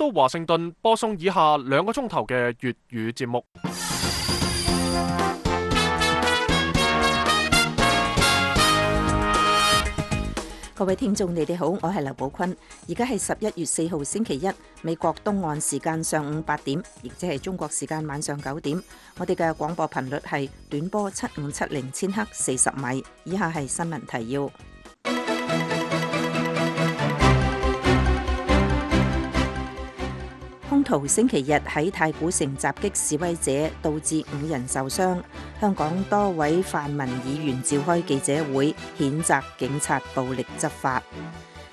都華盛頓播送以下2個鐘頭嘅粵語節目。各位聽眾，你哋好，我係劉寶坤。而家係11月4號星期一，美國東岸時間上午8點，亦即係中國時間晚上9點。我哋嘅廣播頻率係短波7570千赫40米。以下係新聞提要。兇徒星期日喺太古城襲擊示威者，導致5人受傷。香港多位泛民議員召開記者會，譴責警察暴力執法。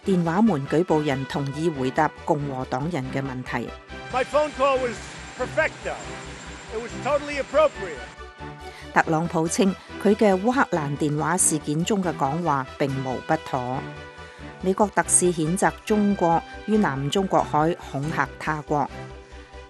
電話門舉報人同意回答共和黨人嘅問題。My phone call was perfecto. It was totally appropriate. 特朗普稱佢嘅烏克蘭電話事件中嘅講話並無不妥。美國特使譴責中國於南中國海恐嚇他國。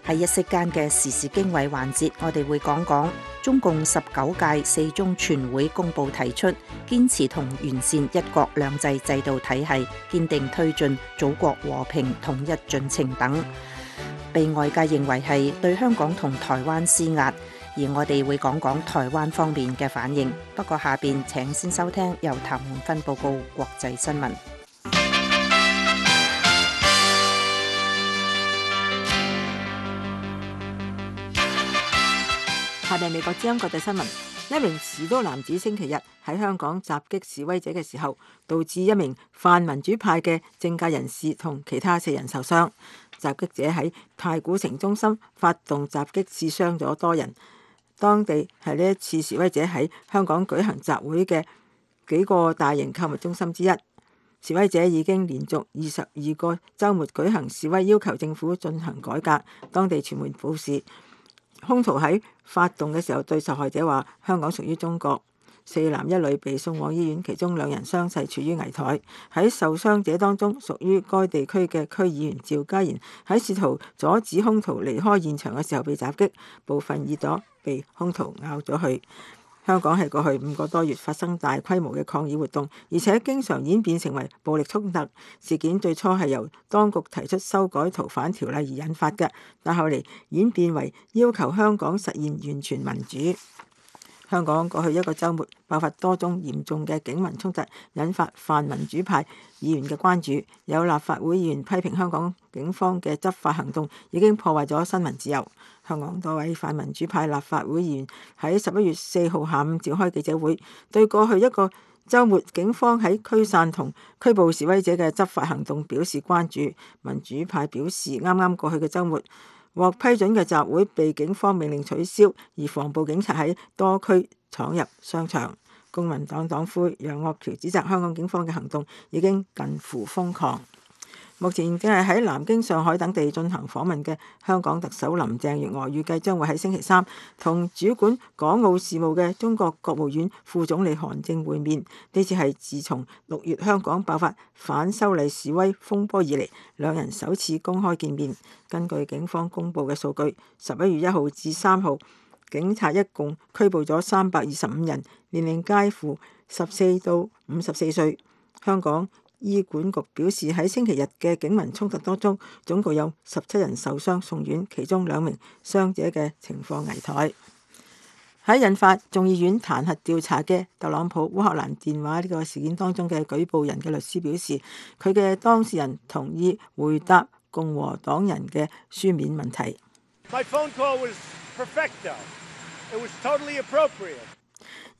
喺一息間嘅時事經緯環節，我哋會講講中共19屆4中全會公佈提出堅持同完善一國兩制制度體系，堅定推進祖國和平統一進程等，被外界認為係對香港同台灣施壓，而我哋會講講台灣方面嘅反應。不過下邊請先收聽由譚滿芬報告國際新聞。下面美國之音國際新聞：一名士多男子星期日喺香港襲擊示威者嘅時候，導致一名泛民主派嘅政界人士同其他4人受傷。襲擊者喺太古城中心發動襲擊，刺傷咗多人。當地係呢一次示威者喺香港舉行集會嘅幾個大型購物中心之一。示威者已經連續22個週末舉行示威，要求政府進行改革。當地傳媒報示，兇徒喺發動嘅時候對受害者話：香港屬於中國。4男1女被送往醫院，其中2人傷勢處於危殆。喺受傷者當中，屬於該地區嘅區議員趙家賢喺試圖阻止兇徒離開現場嘅時候被襲擊，部分耳朵被兇徒咬咗去。香港係過去5個多月發生大規模嘅抗議活動，而且經常演變成為暴力衝突。事件最初係由當局提出修改逃犯條例而引發嘅，但後嚟演變為要求香港實現完全民主。香港過去1個週末爆發多宗嚴重嘅警民衝突，引發泛民主派議員嘅關注。有立法會議員批評香港警方嘅執法行動已經破壞咗新聞自由。香港多位泛民主派立法會議員喺11月4號下午召開記者會，對過去1個週末警方喺驅散同拘捕示威者嘅執法行動表示關注。民主派表示，啱啱過去嘅週末獲批准嘅集會被警方命令取消，而防暴警察喺多區闖入商場。公民黨黨魁楊岳橋指責香港警方嘅行動已經近乎瘋狂。目前正係喺南京、上海等地進行訪問嘅香港特首林鄭月娥，預計將會喺星期3同主管港澳事務嘅中國國務院副總理韓正會面。呢次係自從6月香港爆發反修例示威風波以嚟，2人首次公開見面。根據警方公佈嘅數據，11月1號至3號，警察一共拘捕咗325人，年齡介乎14到54歲。香港醫管局表示，喺星期日嘅警民衝突當中，總共有17人受傷送院，其中2名傷者嘅情況危殆。喺引發眾議院彈劾調查嘅特朗普烏克蘭電話呢個事件當中嘅舉報人嘅律師表示，佢嘅當事人同意回答共和黨人嘅書面問題。My phone call was perfecto. It was totally appropriate.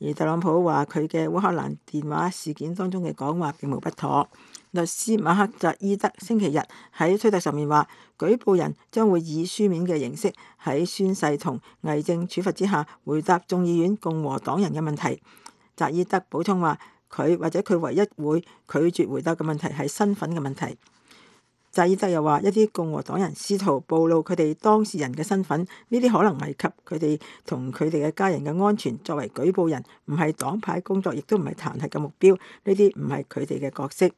而特朗普話佢嘅烏克蘭電話事件當中嘅講話並無不妥。律師馬克扎伊德星期日喺推特上面話，舉報人將會以書面嘅形式喺宣誓同偽證處罰之下回答眾議院共和黨人嘅問題。扎伊德補充話，佢或者佢唯一會拒絕回答嘅問題係身份嘅問題。扎伊德又話，一啲共和黨人試圖暴露佢哋當事人嘅身份，呢啲可能危及佢哋同佢哋嘅家人嘅安全。作為舉報人，唔係黨派工作，亦都唔係彈劾嘅目標，呢啲唔係佢哋嘅角色。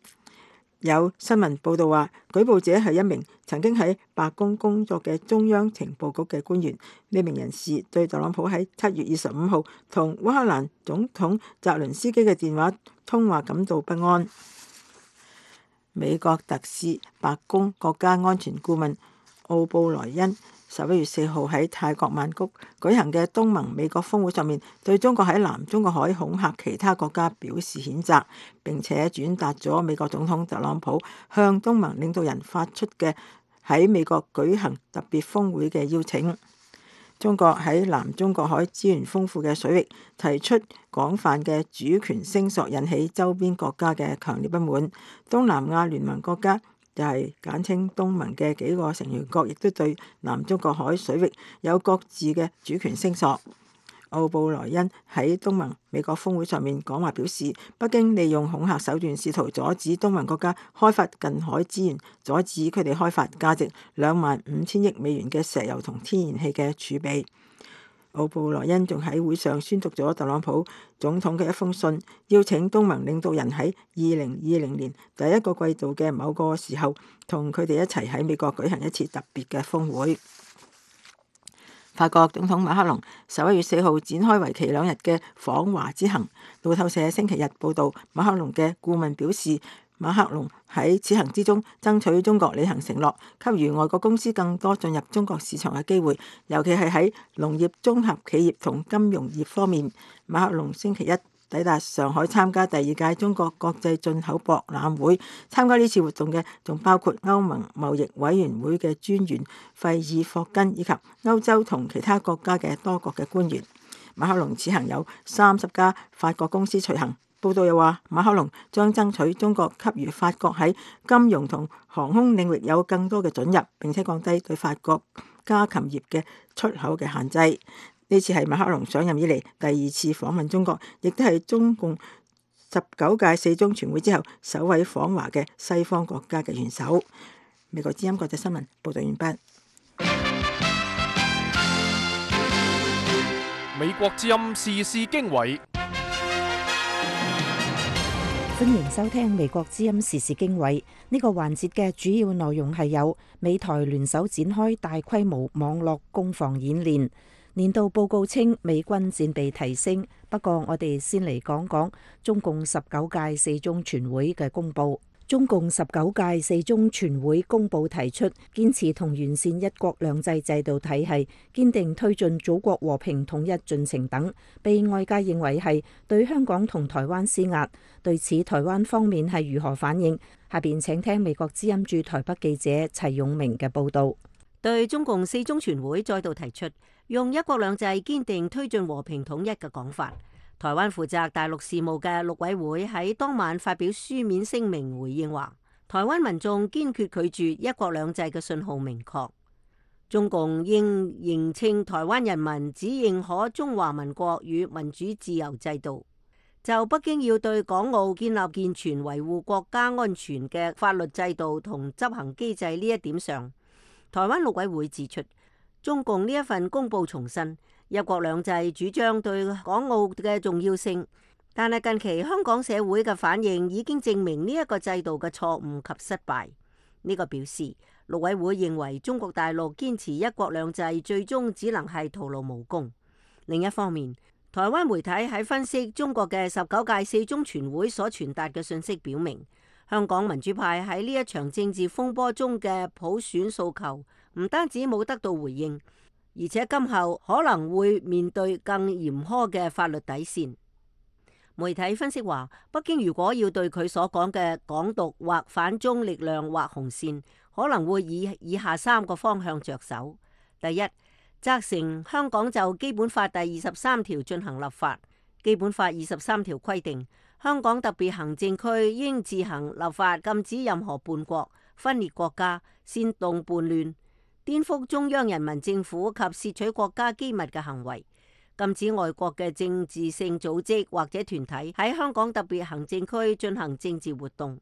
有新聞報道話，舉報者係一名曾經喺白宮工作嘅中央情報局嘅官員。呢名人士對特朗普喺7月25號同烏克蘭總統澤倫斯基嘅電話通話感到不安。美國特使、白宮國家安全顧問奧布萊恩11月4號喺泰國曼谷舉行嘅東盟美國峰會上面，對中國喺南中國海恐嚇其他國家表示譴責，並且轉達咗美國總統特朗普向東盟領導人發出嘅喺美國舉行特別峰會嘅邀請。中國喺南中國海資源豐富嘅水域提出廣泛嘅主權聲索，引起周邊國家嘅強烈不滿。東南亞聯盟國家就係簡稱東盟嘅幾個成員國，亦都對南中國海水域有各自嘅主權聲索。奧布萊恩喺東盟美國峰會上面講話表示，北京利用恐嚇手段試圖阻止東盟國家開發近海資源，阻止佢哋開發價值25,000億美元嘅石油同天然氣嘅儲備。奧布萊恩仲喺會上宣讀咗特朗普總統嘅一封信，邀請東盟領導人喺2020年第一個季度嘅某個時候，同佢哋一齊喺美國舉行一次特別嘅峰會。法國總統馬克龍11月4號展開為期2日嘅訪華之行。路透社星期日報導，馬克龍嘅顧問表示，馬克龍喺此行之中爭取中國履行承諾，給予外國公司更多進入中國市場嘅機會，尤其係喺農業綜合企業同金融業方面。馬克龍星期一抵達上海參加第2屆中國國際進口博覽會。參加呢次活動嘅仲包括歐盟貿易委員會嘅專員費爾霍根，以及歐洲同其他國家嘅多國嘅官員。馬克龍此行有30家法國公司隨行。報道又話，馬克龍將爭取中國給予法國喺金融同航空領域有更多嘅准入，並且降低對法國家禽業嘅出口嘅限制。呢次係馬克龍上任以嚟第2次訪問中國，亦都係中共19屆4中全會之後首位訪華嘅西方國家嘅元首。美國之音國際新聞報道完畢。美國之音時事經緯，歡迎收聽美國之音時事經緯。呢個環節嘅主要內容係有美台聯手展開大規模網絡攻防演練。年度報告稱美軍戰備提升，不過我哋先嚟講講中共19屆4中全會嘅公佈。中共19屆4中全會公佈提出，堅持同完善一國兩制制度體系，堅定推進祖國和平統一進程等，被外界認為係對香港同台灣施壓。對此，台灣方面係如何反應？下邊請聽美國之音駐台北記者齊永明嘅報導。對中共4中全會再度提出用一國兩制堅定推進和平統一嘅講法，台灣負責大陸事務嘅陸委會喺當晚發表書面聲明回應話，台灣民眾堅決拒絕一國兩制嘅信號明確，中共應認清台灣人民只認可中華民國與民主自由制度。就北京要對港澳建立健全維護國家安全嘅法律制度同執行機制呢一點上，台灣陸委會指出，中共呢一份公報重申一國兩制主張對港澳嘅重要性，但係近期香港社會嘅反應已經證明呢一個制度嘅錯誤及失敗。呢個表示陸委會認為中國大陸堅持一國兩制最終只能係徒勞無功。另一方面，台灣媒體喺分析中國嘅19屆4中全會所傳達嘅信息，表明香港民主派喺呢一場政治風波中嘅普選訴求唔單止冇得到回應，而且今後可能會面對更嚴苛嘅法律底線。媒體分析話，北京如果要對佢所講嘅港獨或反中力量劃紅線，可能會以下3個方向着手。第一，責成香港就基本法第23條進行立法。基本法23條規定，香港特別行政區應自行立法禁止任何叛國、分裂國家、煽動叛亂、顛覆中央人民政府及竊取國家機密嘅行為，禁止外國嘅政治性組織或者團體喺香港特別行政區進行政治活動，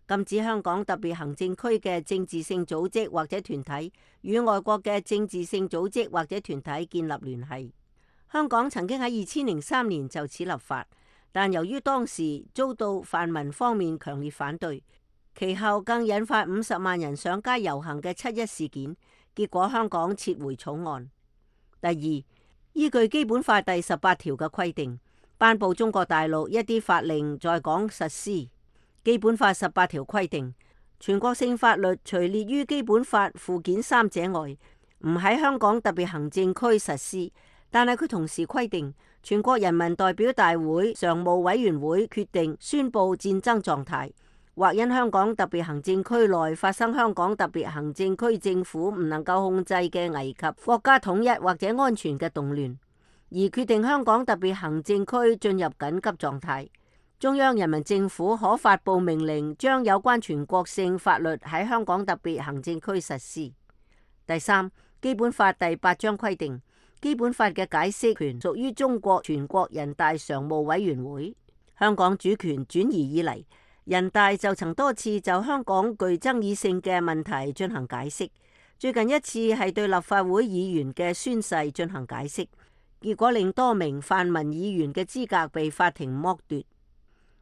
禁止香港特別行政區嘅政治性組織或者團體與外國嘅政治性組織或者團體建立聯繫。香港曾經喺2003年就此立法，但由於當時遭到泛民方面強烈反對，其後更引發50萬人上街遊行嘅7·1事件，結果香港撤回草案。第二，依據基本法第18條嘅規定，頒布中國大陸一啲法令在港實施。基本法18條規定，全國性法律除列於基本法附件3者外，唔喺香港特別行政區實施，但係佢同時規定，全國人民代表大會常務委員會決定宣布戰爭狀態，或因香港特別行政區內發生香港特別行政區政府唔能夠控制嘅危及國家統一或者安全嘅動亂，而決定香港特別行政區進入緊急狀態。中央人民政府可發布命令，將有關全國性法律喺香港特別行政區實施。第三，基本法第8章規定，基本法嘅解釋權屬於中國全國人大常務委員會。香港主權轉移以嚟，人大就曾多次就香港具爭議性嘅問題進行解釋。最近一次係對立法會議員嘅宣誓進行解釋，結果令多名泛民議員嘅資格被法庭剝奪。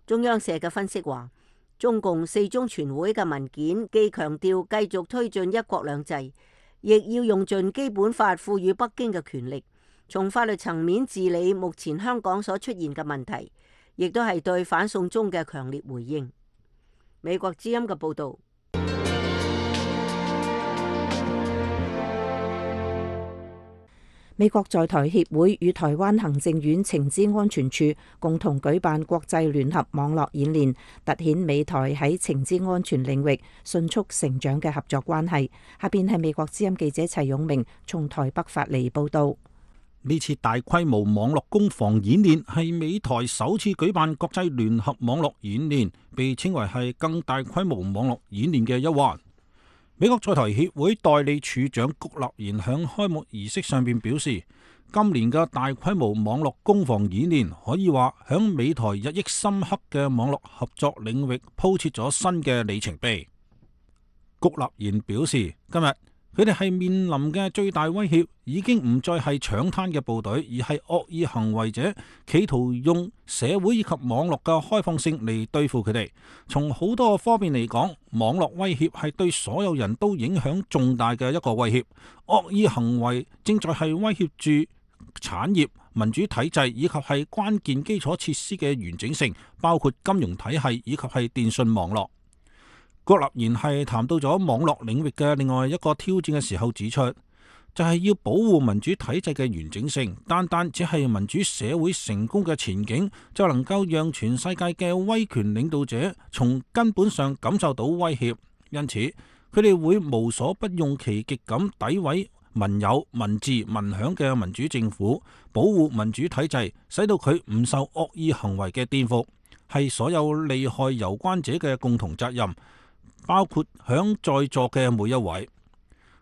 中央社嘅分析話，中共4中全會嘅文件既強調繼續推進一國兩制，亦要用盡基本法賦予北京嘅權力，從法律層面治理目前香港所出現嘅問題，亦都係對反送中嘅強烈回應。美國之音嘅報導。美國在台協會與台灣行政院情資安全處共同舉辦國際聯合網絡演練，凸顯美台喺情資安全領域迅速成長嘅合作關係。下邊係美國之音記者齊永明從台北發嚟報道。呢次大規模網絡攻防演練係美台首次舉辦國際聯合網絡演練，被稱為係更大規模網絡演練嘅一環。美國在台協會代理處長谷立言響開幕儀式上邊表示，今年嘅大規模網絡攻防演練可以話響美台日益深刻嘅網絡合作領域鋪設咗新嘅里程碑。谷立言表示，今日佢哋係面臨嘅最大威脅，已經唔再係搶灘嘅部隊，而係惡意行為者，企圖用社會以及網絡嘅開放性嚟對付佢哋。從好多方面嚟講，網絡威脅係對所有人都影響重大嘅一個威脅。惡意行為正在係威脅住產業、民主體制以及係關鍵基礎設施嘅完整性，包括金融體系以及係電信網絡。谷立言係談到咗網絡領域嘅另外一個挑戰嘅時候指出，就係要保護民主體制嘅完整性。單單只係民主社會成功嘅前景，就能夠讓全世界嘅威權領導者從根本上感受到威脅。因此，佢哋會無所不用其極咁詆毀民有、民治、民享嘅民主政府，保護民主體制，使到佢唔受惡意行為嘅顛覆，係所有利害攸關者嘅共同責任，包括響在座嘅每一位。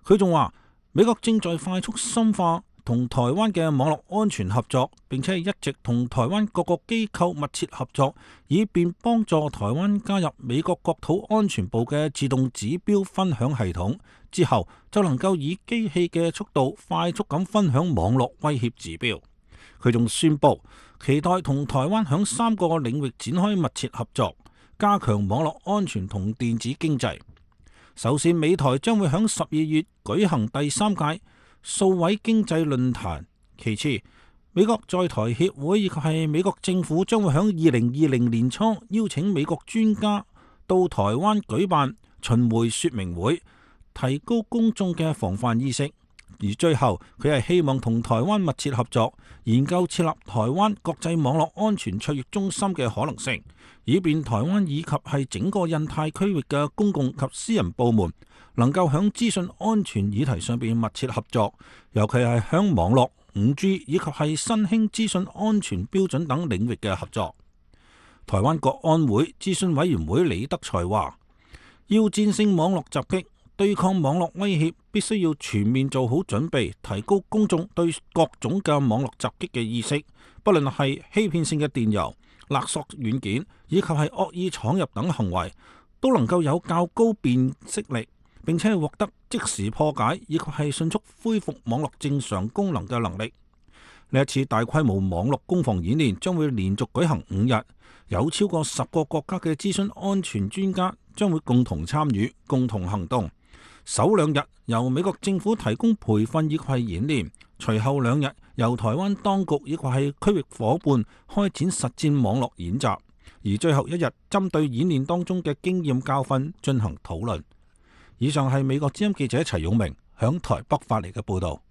佢仲話，美國正在快速深化同台灣嘅網絡安全合作，並且一直同台灣各個機構密切合作，以便幫助台灣加入美國國土安全部嘅自動指標分享系統，之後就能夠以機器嘅速度快速咁分享網絡威脅指標。佢仲宣布期待同台灣響3個領域展開密切合作，加強網絡安全同電子經濟。首先，美台將會響12月舉行第3屆數位經濟論壇。其次，美國在台協會以及係美國政府將會響2020年初邀請美國專家到台灣舉辦巡迴說明會，提高公眾嘅防範意識。而最後，佢係希望同台灣密切合作，研究設立台灣國際網絡安全卓越中心嘅可能性，以便台灣以及係整個印太區域嘅公共及私人部門能夠響資訊安全議題上邊密切合作，尤其係響網絡、5G 以及係新興資訊安全標準等領域嘅合作。台灣國安會諮詢委員會李德才話，要戰勝網絡襲擊，對抗網絡威脅，必須要全面做好準備，提高公眾對各種嘅網絡襲擊嘅意識，不論係欺騙性嘅電郵、勒索軟件以及係惡意闖入等行為，都能夠有較高辨識力，並且獲得即時破解以及係迅速恢復網絡正常功能嘅能力。呢一次大規模網絡攻防演練將會連續舉行5日，有超過10個國家嘅資訊安全專家將會共同參與、共同行動。首2日由美國政府提供培訓以及係演練，隨後2日由台灣當局以及係區域夥伴開展實戰網絡演習。而最後一日針對演練當中嘅經驗教訓進行討論。以上係美國之音記者齊勇明響台北發嚟嘅報導。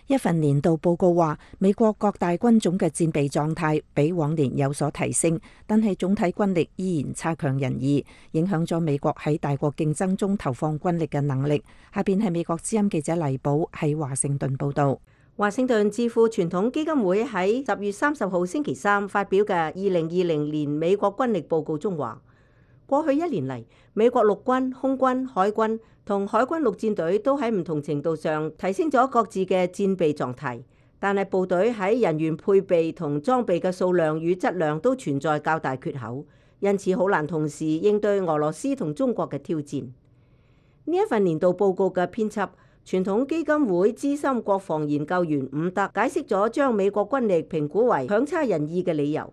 一份年度報告話，美國各大軍種嘅戰備狀態比往年有所提升，但係總體軍力依然差強人意，影響咗美國喺大國競爭中投放軍力嘅能力。下邊係美國之音記者黎寶喺華盛頓報導。華盛頓智庫傳統基金會喺10月30號星期三發表嘅2020年美國軍力報告中話，過去一年嚟，美國陸軍、空軍、海軍同海軍陸戰隊都喺唔同程度上提升咗各自嘅戰備狀態，但係部隊喺人員配備同裝備嘅數量與質量都存在較大缺口，因此好難同時應對俄羅斯同中國嘅挑戰。呢一份年度報告嘅編輯、傳統基金會資深國防研究員伍德解釋咗將美國軍力評估為強差人意嘅理由。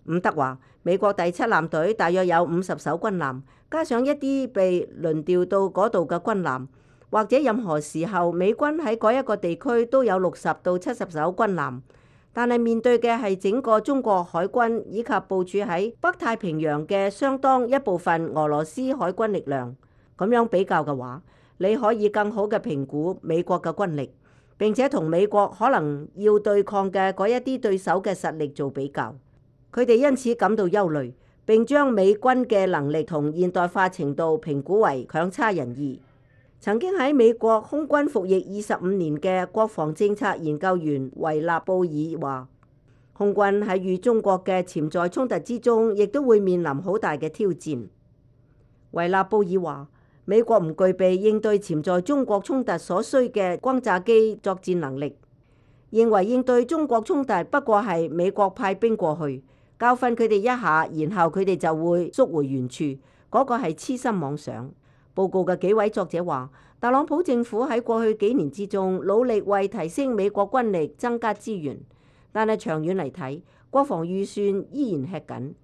伍德話，美國第7艦隊大約有50艘軍艦，加上一啲被輪調到嗰度嘅軍艦，或者任何時候美軍喺嗰一個地區都有60到70艘軍艦。但係面對嘅係整個中國海軍以及部署喺北太平洋嘅相當一部分俄羅斯海軍力量。咁樣比較嘅話，你可以更好嘅評估美國嘅軍力，並且同美國可能要對抗嘅嗰一啲對手嘅實力做比較。佢哋因此感到憂慮，並將美軍嘅能力同現代化程度評估為強差人意。曾經喺美國空軍服役25年嘅國防政策研究員維納布爾話，空軍喺與中國嘅潛在衝突之中，亦都會面臨好大嘅挑戰。維納布爾話，美國唔具備應對潛在中國衝突所需嘅轟炸機作戰能力，認為應對中國衝突不過係美國派兵過去，教訓佢哋一下，然後佢哋就會縮回原處，嗰個係痴心妄想。報告嘅幾位作者話，特朗普政府喺過去幾年之中努力為提升美國軍力增加資源，但係長遠嚟睇，國防預算依然吃緊。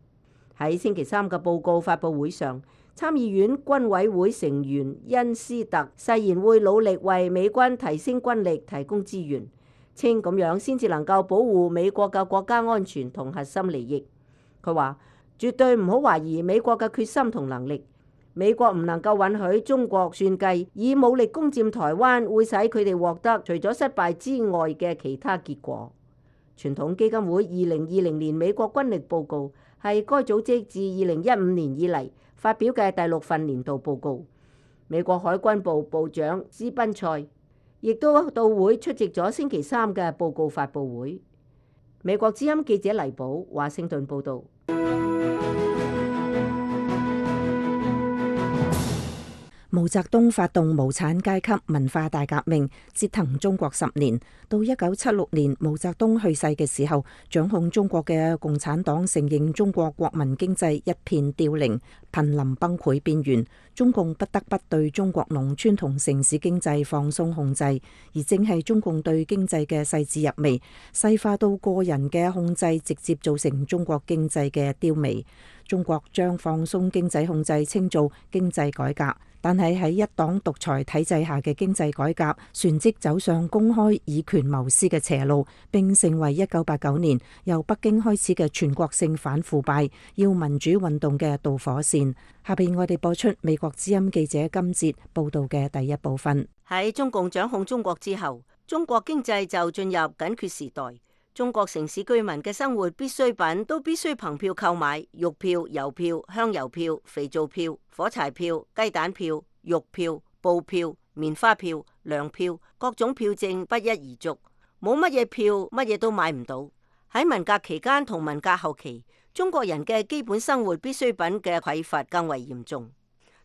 喺星期三嘅報告發佈會上，參議院軍委會成員恩斯特誓言會努力為美軍提升軍力提供資源，稱咁樣先至能夠保護美國嘅國家安全同核心利益。佢話絕對唔好懷疑美國嘅決心同能力，美國唔能夠允許中國算計以武力攻佔台灣會使佢哋獲得除咗失敗之外嘅其他結果。傳統基金會2020年美國軍力報告係該組織自2015年以嚟發表嘅第6份年度報告。美國海軍部部長斯賓塞亦都到會出席咗星期三嘅報告發佈會。美國之音記者黎寶華盛頓報導。毛澤東發動無產階級文化大革命，折騰中國10年。到1976年毛澤東去世嘅時候，掌控中國嘅共產黨承認中國國民經濟一片凋零，瀕臨崩潰邊緣。中共不得不對中國農村同城市經濟放鬆控制，而正係中共對經濟嘅細緻入微，細化到個人嘅控制，直接造成中國經濟嘅凋靡。中國將放鬆經濟控制稱做經濟改革，但係喺一黨獨裁體制下嘅經濟改革，旋即走上公開以權謀私嘅邪路，並成為1989年由北京開始嘅全國性反腐敗、要民主運動嘅導火線。下邊我哋播出美國之音記者金哲報道嘅第一部分。喺中共掌控中國之後，中國經濟就進入緊缺時代。中國城市居民嘅生活必需品都必須憑票購買，肉票、郵票、香油票、肥皂票、火柴票、雞蛋票、肉票、布票、棉花票、糧票，各種票證不一而足，冇乜嘢票，乜嘢都買唔到。喺文革期間同文革後期，中國人嘅基本生活必需品嘅匱乏更為嚴重。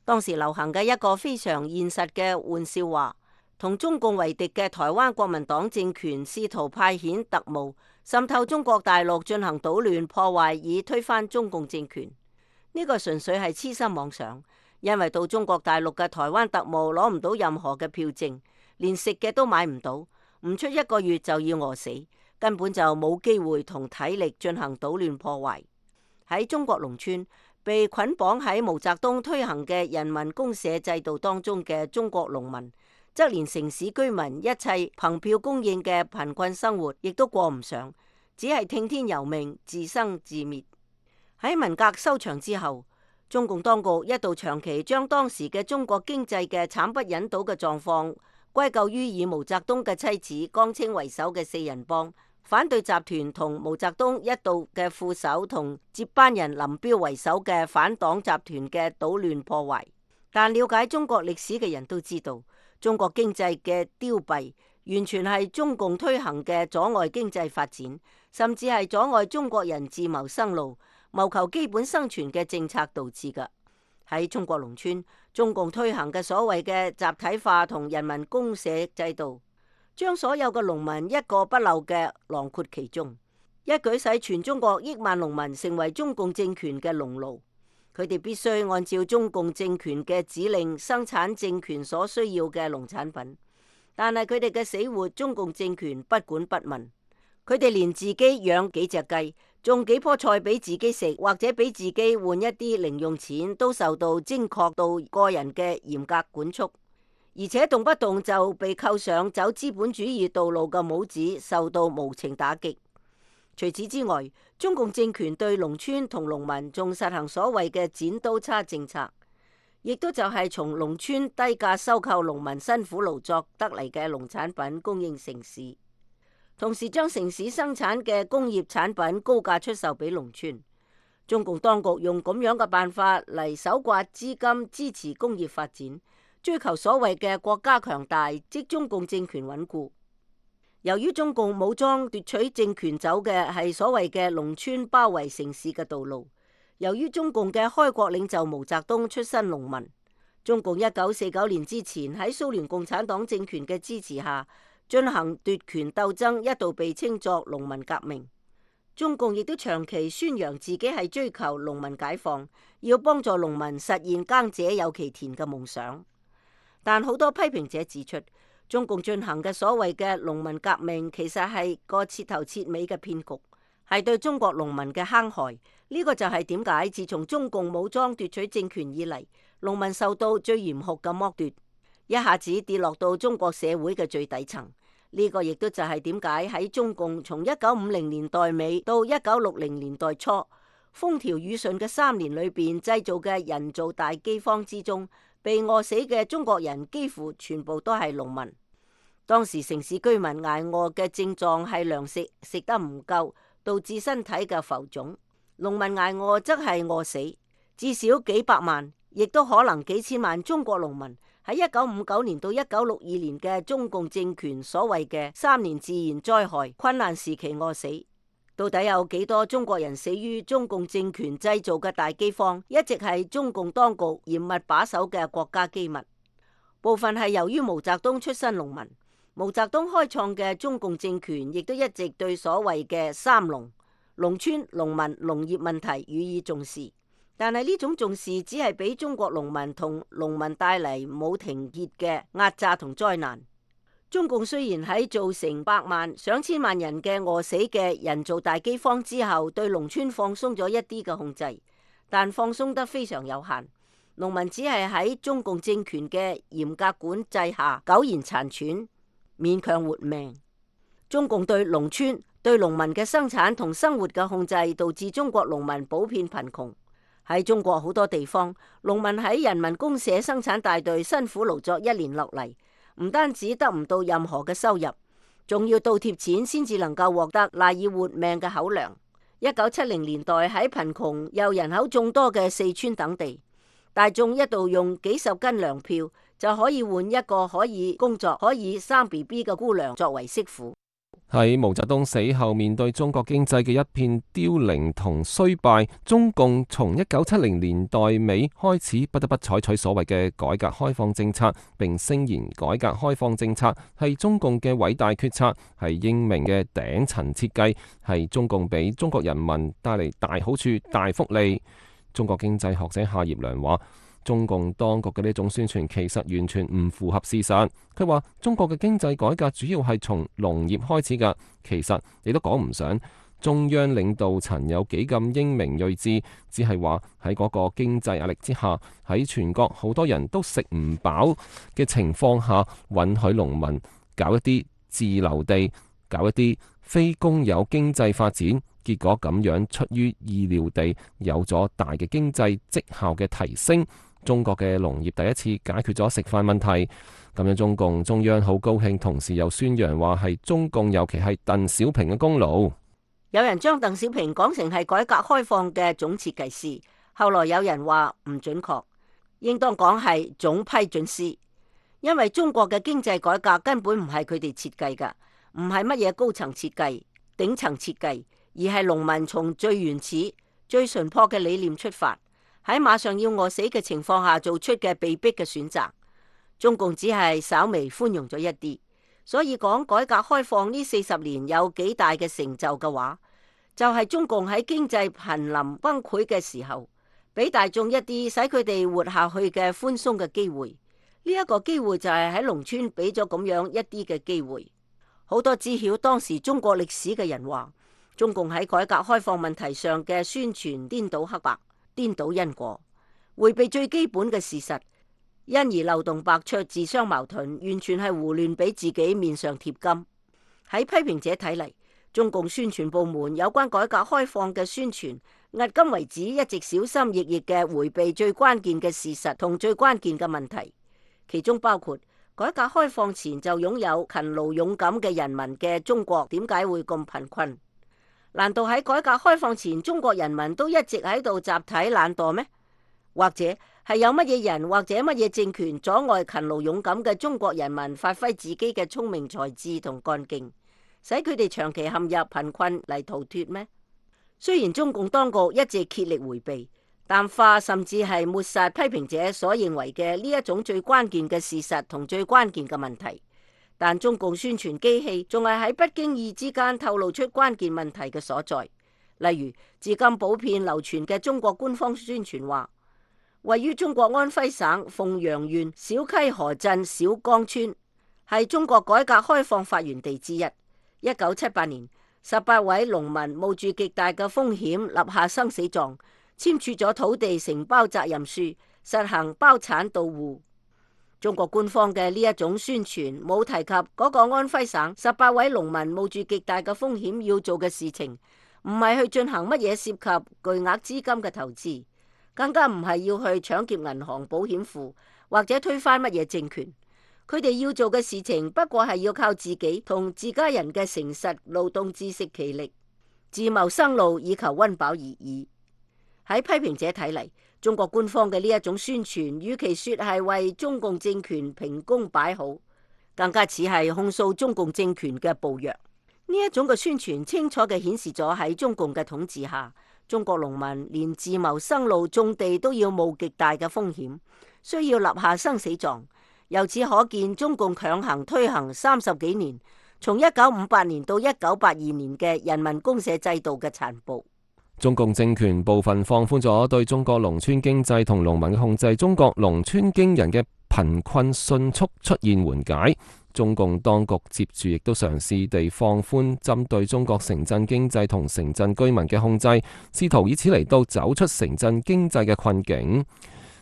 當時流行嘅一個非常現實嘅玩笑話，同中共為敵嘅台灣國民黨政權試圖派遣特務滲透中國大陸進行搗亂破壞，以推翻中共政權。呢個純粹係痴心妄想，因為到中國大陸嘅台灣特務攞唔到任何嘅票證，連食嘅都買唔到，唔出1個月就要餓死，根本就冇機會同體力進行搗亂破壞。喺中國農村，被捆綁喺毛澤東推行嘅人民公社制度當中嘅中國農民，則連城市居民一切憑票供應嘅貧困生活亦都過唔上，只係聽天由命，自生自滅。喺文革收場之後，中共當局一度長期將當時嘅中國經濟嘅慘不忍睹嘅狀況歸咎於以毛澤東嘅妻子江青為首嘅四人幫、反對集團同毛澤東一度嘅副手同接班人林彪為首嘅反黨集團嘅搗亂破壞。但了解中國歷史嘅人都知道，中國經濟嘅凋敝完全係中共推行嘅阻礙經濟發展，甚至係阻礙中國人自謀生路、謀求基本生存嘅政策導致㗎。喺中國農村，中共推行嘅所謂嘅集體化同人民公社制度，將所有嘅農民一個不漏嘅囊括其中，一舉使全中國億萬農民成為中共政權嘅農奴。佢哋必須按照中共政權嘅指令生產政權所需要嘅農產品，但係佢哋嘅死活，中共政權不管不問。佢哋連自己養幾隻雞、種幾棵菜俾自己食，或者俾自己換一啲零用錢，都受到精確到個人嘅嚴格管束，而且動不動就被扣上走資本主義道路嘅帽子，受到無情打擊。除此之外，中共政權對農村同農民仲實行所謂嘅剪刀差政策，亦都就係從農村低價收購農民辛苦勞作得嚟嘅農產品供應城市，同時將城市生產嘅工業產品高價出售俾農村。中共當局用咁樣嘅辦法嚟搜刮資金，支持工業發展，追求所謂嘅國家強大，即中共政權穩固。由於中共武裝奪取政權走嘅係所謂嘅農村包圍城市嘅道路，由於中共嘅開國領袖毛澤東出身農民，中共1949年之前喺蘇聯共產黨政權嘅支持下進行奪權鬥爭，一度被稱作農民革命。中共亦都長期宣揚自己係追求農民解放，要幫助農民實現耕者有其田嘅夢想。但好多批評者指出，中共進行嘅所謂嘅農民革命，其實係個徹頭徹尾嘅騙局，係對中國農民嘅坑害。呢個就係點解自從中共武裝奪取政權以嚟，農民受到最嚴酷嘅剝奪，一下子跌落到中國社會嘅最底層。呢個亦都就係點解喺中共從1950年代尾到1960年代初風調雨順嘅3年裏邊製造嘅人造大饑荒之中，被餓死嘅中國人幾乎全部都係農民。當時城市居民捱餓嘅症狀係糧食食得唔夠，導致身體嘅浮腫；農民捱餓則係餓死。至少幾百萬，亦都可能幾千萬中國農民喺1959年到1962年嘅中共政權所謂嘅3年自然災害困難時期餓死。到底有幾多中國人死於中共政權製造嘅大饑荒，一直係中共當局嚴密把守嘅國家機密。部分係由於毛澤東出身農民，毛澤東開創嘅中共政權亦都一直對所謂嘅三農、農村、農民、農業問題予以重視。但係呢種重視只係俾中國農民同農民帶嚟冇停歇嘅壓榨同災難。中共雖然喺造成百萬上千萬人嘅餓死嘅人造大饑荒之後，對農村放鬆咗一啲嘅控制，但放鬆得非常有限。農民只係喺中共政權嘅嚴格管制下苟延殘喘，勉強活命。中共對農村、對農民嘅生產同生活嘅控制，導致中國農民普遍貧窮。喺中國好多地方，農民喺人民公社生產大隊辛苦勞作1年落嚟，唔單止得唔到任何嘅收入，仲要倒貼錢先至能夠獲得賴以活命嘅口糧。1970年代喺貧窮又人口眾多嘅四川等地，大眾一度用幾十斤糧票就可以換一個可以工作、可以生 BB 嘅姑娘作為媳婦。喺毛澤東死後，面對中國經濟嘅一片凋零同衰敗，中共從1970年代尾開始不得不採取所謂嘅改革開放政策，並聲言改革開放政策係中共嘅偉大決策，係英明嘅頂層設計，係中共俾中國人民帶嚟大好處、大福利。中國經濟學者夏業良話，中共當局嘅呢種宣傳其實完全唔符合事實。佢話中國嘅經濟改革主要係從農業開始㗎，其實你都講唔上。中央領導層有幾咁英明睿智，只係話喺嗰個經濟壓力之下，喺全國好多人都食唔飽嘅情況下，允許農民搞一啲自留地，搞一啲非公有經濟發展，結果咁樣出於意料地有咗大嘅經濟績效嘅提升。中國嘅農業第一次解決咗食飯問題，咁樣中共中央好高興，同時又宣揚話係中共，尤其係鄧小平嘅功勞。有人將鄧小平講成係改革開放嘅總設計師，後來有人話唔準確，應當講係總批准師，因為中國嘅經濟改革根本唔係佢哋設計㗎，唔係乜嘢高層設計、頂層設計，而係農民從最原始、最純樸嘅理念出發，喺馬上要餓死嘅情況下做出嘅被逼嘅選擇。中共只係稍微寬容咗一啲。所以講改革開放呢40年有幾大嘅成就嘅話，就係中共喺經濟瀕臨崩潰嘅時候，俾大眾一啲使佢哋活下去嘅寬鬆嘅機會。呢一個機會就係喺農村俾咗咁樣一啲嘅機會。好多知曉當時中國歷史嘅人話，中共喺改革開放問題上嘅宣傳顛倒黑白、顛倒因果，迴避最基本嘅事實，因而漏洞百出、自相矛盾，完全係胡亂俾自己面上貼金。喺批評者睇嚟，中共宣傳部門有關改革開放嘅宣傳，迄今為止一直小心翼翼嘅迴避最關鍵嘅事實同最關鍵嘅問題，其中包括改革開放前就擁有勤勞勇敢嘅人民嘅中國點解會咁貧困？難道喺改革開放前中國人民都一直喺度集體懶惰咩？或者係有乜嘢人或者乜嘢政權阻礙勤勞勇敢嘅中國人民發揮自己嘅聰明才智同幹勁，使佢哋長期陷入貧困嚟逃脫咩？雖然中共當局一直竭力迴避、淡化甚至係抹殺批評者所認為嘅呢一種最關鍵嘅事實同最關鍵嘅問題，但中共宣傳機器仲係喺不經意之間透露出關鍵問題嘅所在。例如，至今普遍流傳嘅中國官方宣傳話，位於中國安徽省鳳陽縣小溪河鎮小江村，係中國改革開放發源地之一。1978年，18位農民冒住極大嘅風險立下生死狀，簽署咗土地承包責任書，實行包產到戶。中國官方嘅呢一種宣傳冇提及嗰個安徽省18位農民冒住極大嘅風險要做嘅事情，唔係去進行乜嘢涉及巨額資金嘅投資，更加唔係要去搶劫銀行、保險庫或者推翻乜嘢政權。佢哋要做嘅事情不過係要靠自己同自家人嘅誠實勞動自食其力，自謀生路以求溫飽而已。喺批評者睇嚟，中國官方嘅呢一種宣傳，與其說係為中共政權評功擺好，更加似係控訴中共政權嘅暴虐。呢一種嘅宣傳清楚嘅顯示咗喺中共嘅統治下，中國農民連自謀生路種地都要冒極大嘅風險，需要立下生死狀。由此可見，中共強行推行30幾年，從1958年到1982年嘅人民公社制度嘅殘暴。中共政權部分放寬咗對中國農村經濟同農民嘅控制，中國農村驚人嘅貧困迅速出現緩解。中共當局接住亦都嘗試地放寬針對中國城鎮經濟同城鎮居民嘅控制，試圖以此嚟到走出城鎮經濟嘅困境。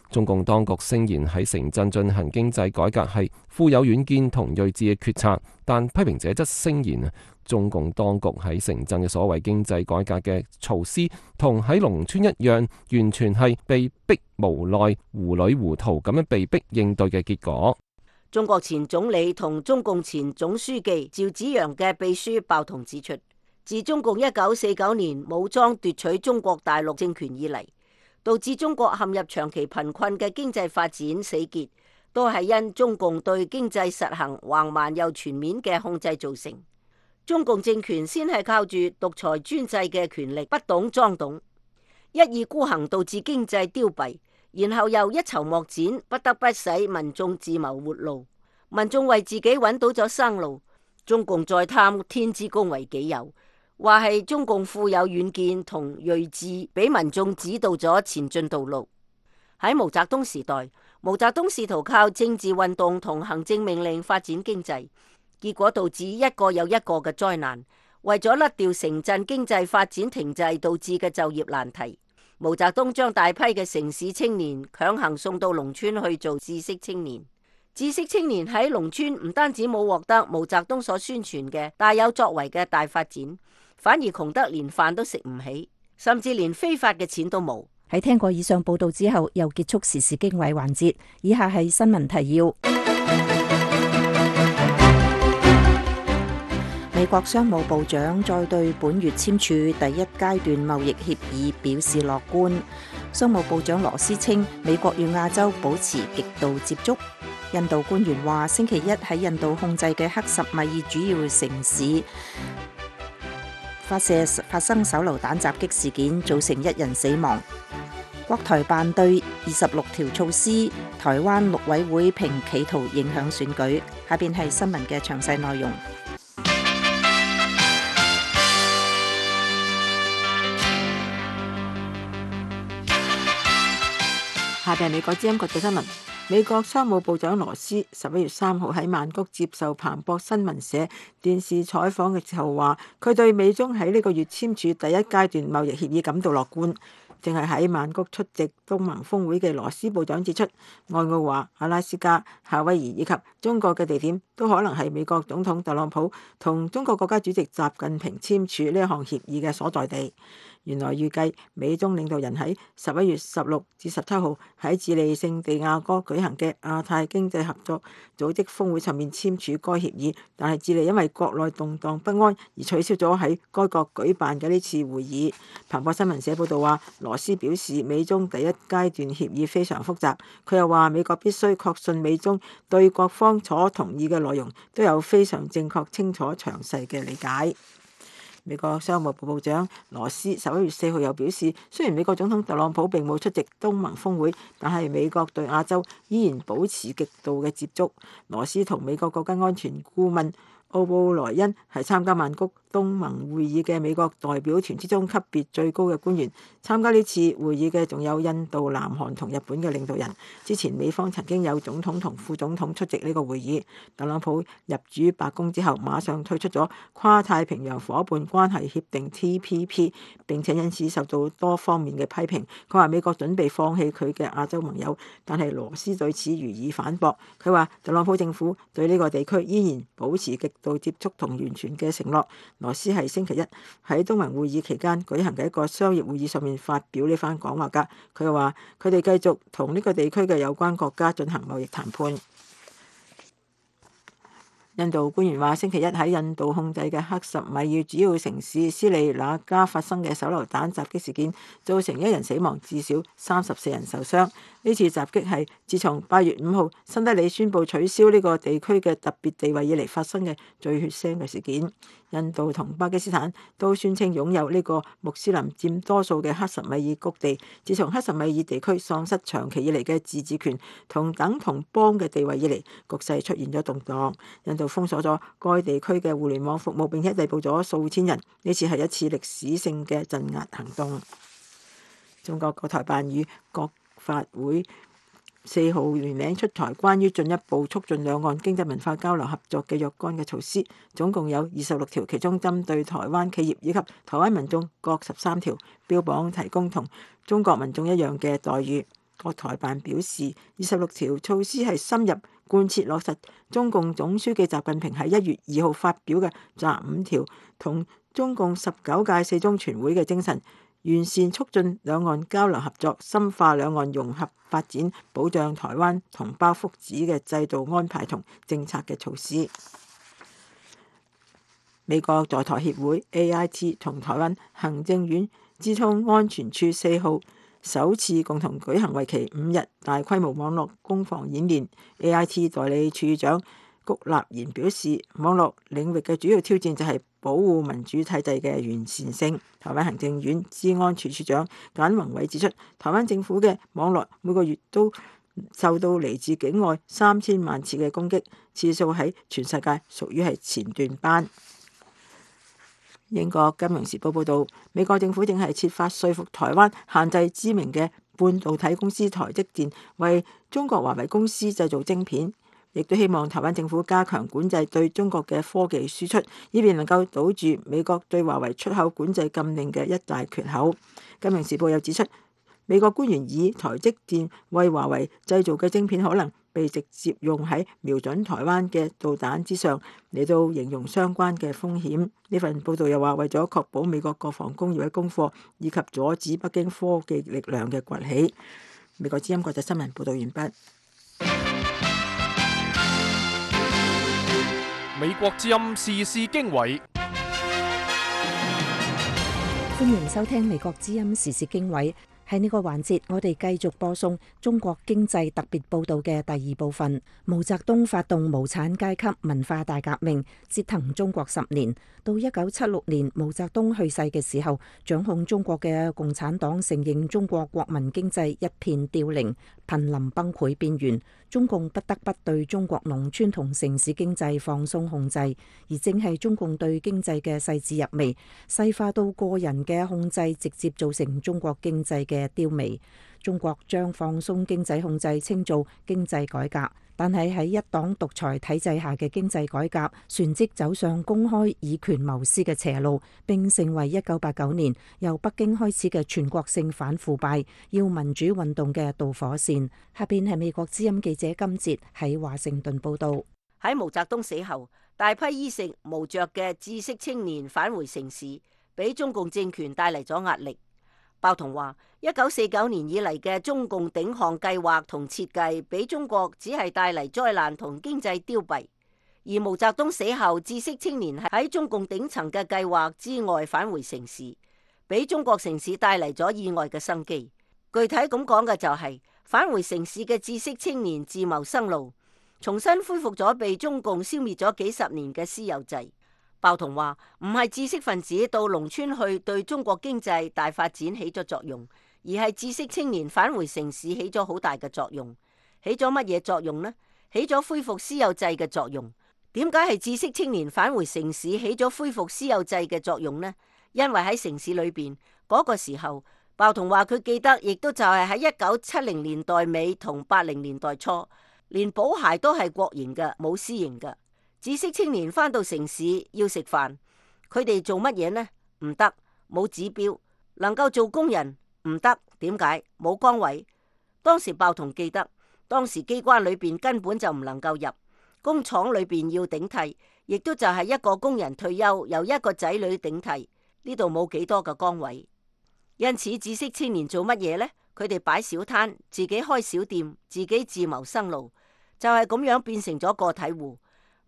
中共當局聲言喺城鎮進行經濟改革係富有遠見同睿智嘅決策，但批評者則聲言中共當局喺城鎮嘅所謂經濟改革嘅措施，同喺農村一樣，完全係被逼無奈、糊裏糊塗咁樣被逼應對嘅結果。中國前總理同中共前總書記趙紫陽嘅秘書鮑彤指出，自中共1949年武裝奪取中國大陸政權以嚟，導致中國陷入長期貧困嘅經濟發展死結，都係因中共對經濟實行橫蠻又全面嘅控制造成。中共政權先係靠住獨裁專制嘅權力不懂裝懂，一意孤行導致經濟凋敝，然後又一籌莫展，不得不使民眾自謀活路。民眾為自己揾到咗生路，中共再貪天之功為己有，話係中共富有遠見同睿智，俾民眾指導咗前進道路。喺毛澤東時代，毛澤東試圖靠政治運動同行政命令發展經濟，結果導致一個又一個嘅災難，為咗甩掉城鎮經濟發展停滯導致嘅就業難題，毛澤東將大批嘅城市青年強行送到農村去做知識青年。知識青年喺農村唔單止冇獲得毛澤東所宣傳嘅大有作為嘅大發展，反而窮得連飯都食唔起，甚至連非法嘅錢都冇。喺聽過以上報道之後，又結束時事經緯環節。以下係新聞提要。美國商務部長再對本月簽署第一階段貿易協議表示樂觀。商務部長羅斯稱，美國與亞洲保持極度接觸。印度官員話，星期一喺印度控制嘅克什米爾主要城市發生手榴彈襲擊事件，造成1人死亡。國台辦對26條措施，台灣陸委會評企圖影響選舉。下邊係新聞嘅詳細內容。下邊係美國之音國際新聞。美國商務部長羅斯11月3號喺曼谷接受彭博新聞社電視採訪嘅時候話，佢對美中喺呢個月簽署第一階段貿易協議感到樂觀。正係喺曼谷出席東盟峰會嘅羅斯部長指出，愛奧華、阿拉斯加、夏威夷以及中國嘅地點都可能係美國總統特朗普同中國國家主席習近平簽署呢一項協議嘅所在地。原來預計美中領導人喺11月16至17號喺智利聖地亞哥舉行嘅亞太經濟合作組織峰會上面簽署該協議，但係智利因為國內動盪不安而取消咗喺該國舉辦嘅呢次會議。彭博新聞社報道話，羅斯表示美中第一階段協議非常複雜，佢又話美國必須確信美中對各方所同意嘅內容都有非常正確、清楚、詳細嘅理解。美國商務部部長羅斯11月4號又表示，雖然美國總統特朗普並冇出席東盟峰會，但係美國對亞洲依然保持極度嘅接觸。羅斯同美國國家安全顧問奧布萊恩係參加曼谷東盟會議嘅美國代表團之中級別最高嘅官員。參加呢次會議嘅仲有印度、南韓同日本嘅領導人。之前美方曾經有總統同副總統出席呢個會議。特朗普入主白宮之後，馬上退出咗跨太平洋夥伴關係協定 TPP， 並且因此受到多方面嘅批評。佢話美國準備放棄佢嘅亞洲盟友，但係羅斯對此予以反駁。佢話特朗普政府對呢個地區依然保持極度接觸同完全嘅承諾。羅斯係星期一喺東盟會議期間舉行嘅一個商業會議上面發表呢番講話㗎。佢又話佢哋繼續同呢個地區嘅有關國家進行貿易談判。印度官員話，星期一喺印度控制嘅克什米爾主要城市斯里那加發生嘅手榴彈襲擊事件，造成1人死亡，至少34人受傷。呢次襲擊係自從8月5號新德里宣布取消呢個地區嘅特別地位以嚟發生嘅最血腥嘅事件。印度同巴基斯坦都宣稱擁有呢個穆斯林佔多數嘅克什米爾谷地。自從克什米爾地區喪失長期以嚟嘅自治權同等同邦嘅地位以嚟，局勢出現咗動盪。印度封鎖咗該地區嘅互聯網服務，並且逮捕咗數千人。呢次係一次歷史性嘅鎮壓行動。中國國台辦與國法會4號聯名出台關於進一步促進兩岸經濟文化交流合作嘅若干嘅措施，總共有26條，其中針對台灣企業以及台灣民眾各13條，標榜提供同中國民眾一樣嘅待遇。國台辦表示，26條措施係深入貫徹落實中共總書記習近平喺1月2號發表嘅習5條同中共19屆四中全會嘅精神，完善促進兩岸交流合作、深化兩岸融合發展、保障台灣同胞福祉嘅制度安排同政策嘅措施。美國在台協會 AIT 同台灣行政院資通安全處4號首次共同舉行為期5日大規模網絡攻防演練。AIT 代理處長谷立言表示，網絡領域嘅主要挑戰就係保護民主體制嘅完善性。台灣行政院資安處處長簡宏偉指出，台灣政府嘅網絡每個月都受到嚟自境外3000萬次嘅攻擊，次數喺全世界屬於係前段班。英國金融時報報導，美國政府正係設法說服台灣限制知名嘅半導體公司台積電為中國華為公司製造晶片。亦都希望台灣政府加強管制對中國嘅科技輸出，以便能夠堵住美國對華為出口管制禁令嘅一大缺口。金融時報又指出，美國官員以台積電為華為製造嘅晶片可能被直接用喺瞄準台灣嘅導彈之上，嚟到形容相關嘅風險。呢份報道又話，為咗確保美國國防工業嘅供貨，以及阻止北京科技力量嘅崛起。美國之音國際新聞報道完畢。美國之音時事經緯，歡迎收聽美國之音時事經緯。喺呢個環節，我哋繼續播送中國經濟特別報道嘅第二部分。毛澤東發動無產階級文化大革命，折騰中國10年。到1976年毛澤東去世嘅時候，掌控中國嘅共產黨承認中國國民經濟一片凋零，瀕臨崩潰邊緣。中共不得不對中國農村同城市經濟放鬆控制，而正係中共對經濟嘅細緻入微，細化到個人嘅控制，直接造成中國經濟嘅凋靡。中國將放鬆經濟控制稱做經濟改革，但係喺一黨獨裁體制下嘅經濟改革旋即走上公開以權謀私嘅邪路，並成為1989年由北京開始嘅全國性反腐敗要民主運動嘅導火線。下邊係美國之音記者金哲喺華盛頓報道。喺毛澤東死後，大批衣食無着嘅知識青年返回城市，俾中共政權帶嚟咗壓力。鮑彤話：1949年以嚟嘅中共頂項計劃同設計，俾中國只係帶嚟災難同經濟凋敝。而毛澤東死後，知識青年喺中共頂層嘅計劃之外返回城市，俾中國城市帶嚟咗意外嘅生機。具體咁講嘅就係返回城市嘅知識青年自謀生路，重新恢復咗被中共消滅咗幾十年嘅私有制。鮑彤話：唔係知識分子到農村去對中國經濟大發展起咗作用，而係知識青年返回城市起咗好大嘅作用。起咗乜嘢作用呢？起咗恢復私有制嘅作用。點解係知識青年返回城市起咗恢復私有制嘅作用呢？因為喺城市裏邊嗰個時候，鮑彤話佢記得，亦都就係喺1970年代尾同80年代初，連保鞋都係國營嘅，冇私營嘅。知識青年返到城市要食飯，佢哋做乜嘢呢？唔得，冇指標。能夠做工人唔得，點解？冇崗位。當時鮑彤記得，當時機關裏邊根本就唔能夠入，工廠裏邊要頂替，亦都就係一個工人退休，由一個仔女頂替，呢度冇幾多個崗位。因此知識青年做乜嘢呢？佢哋擺小攤，自己開小店，自己自謀生路，就係咁樣變成咗個體戶。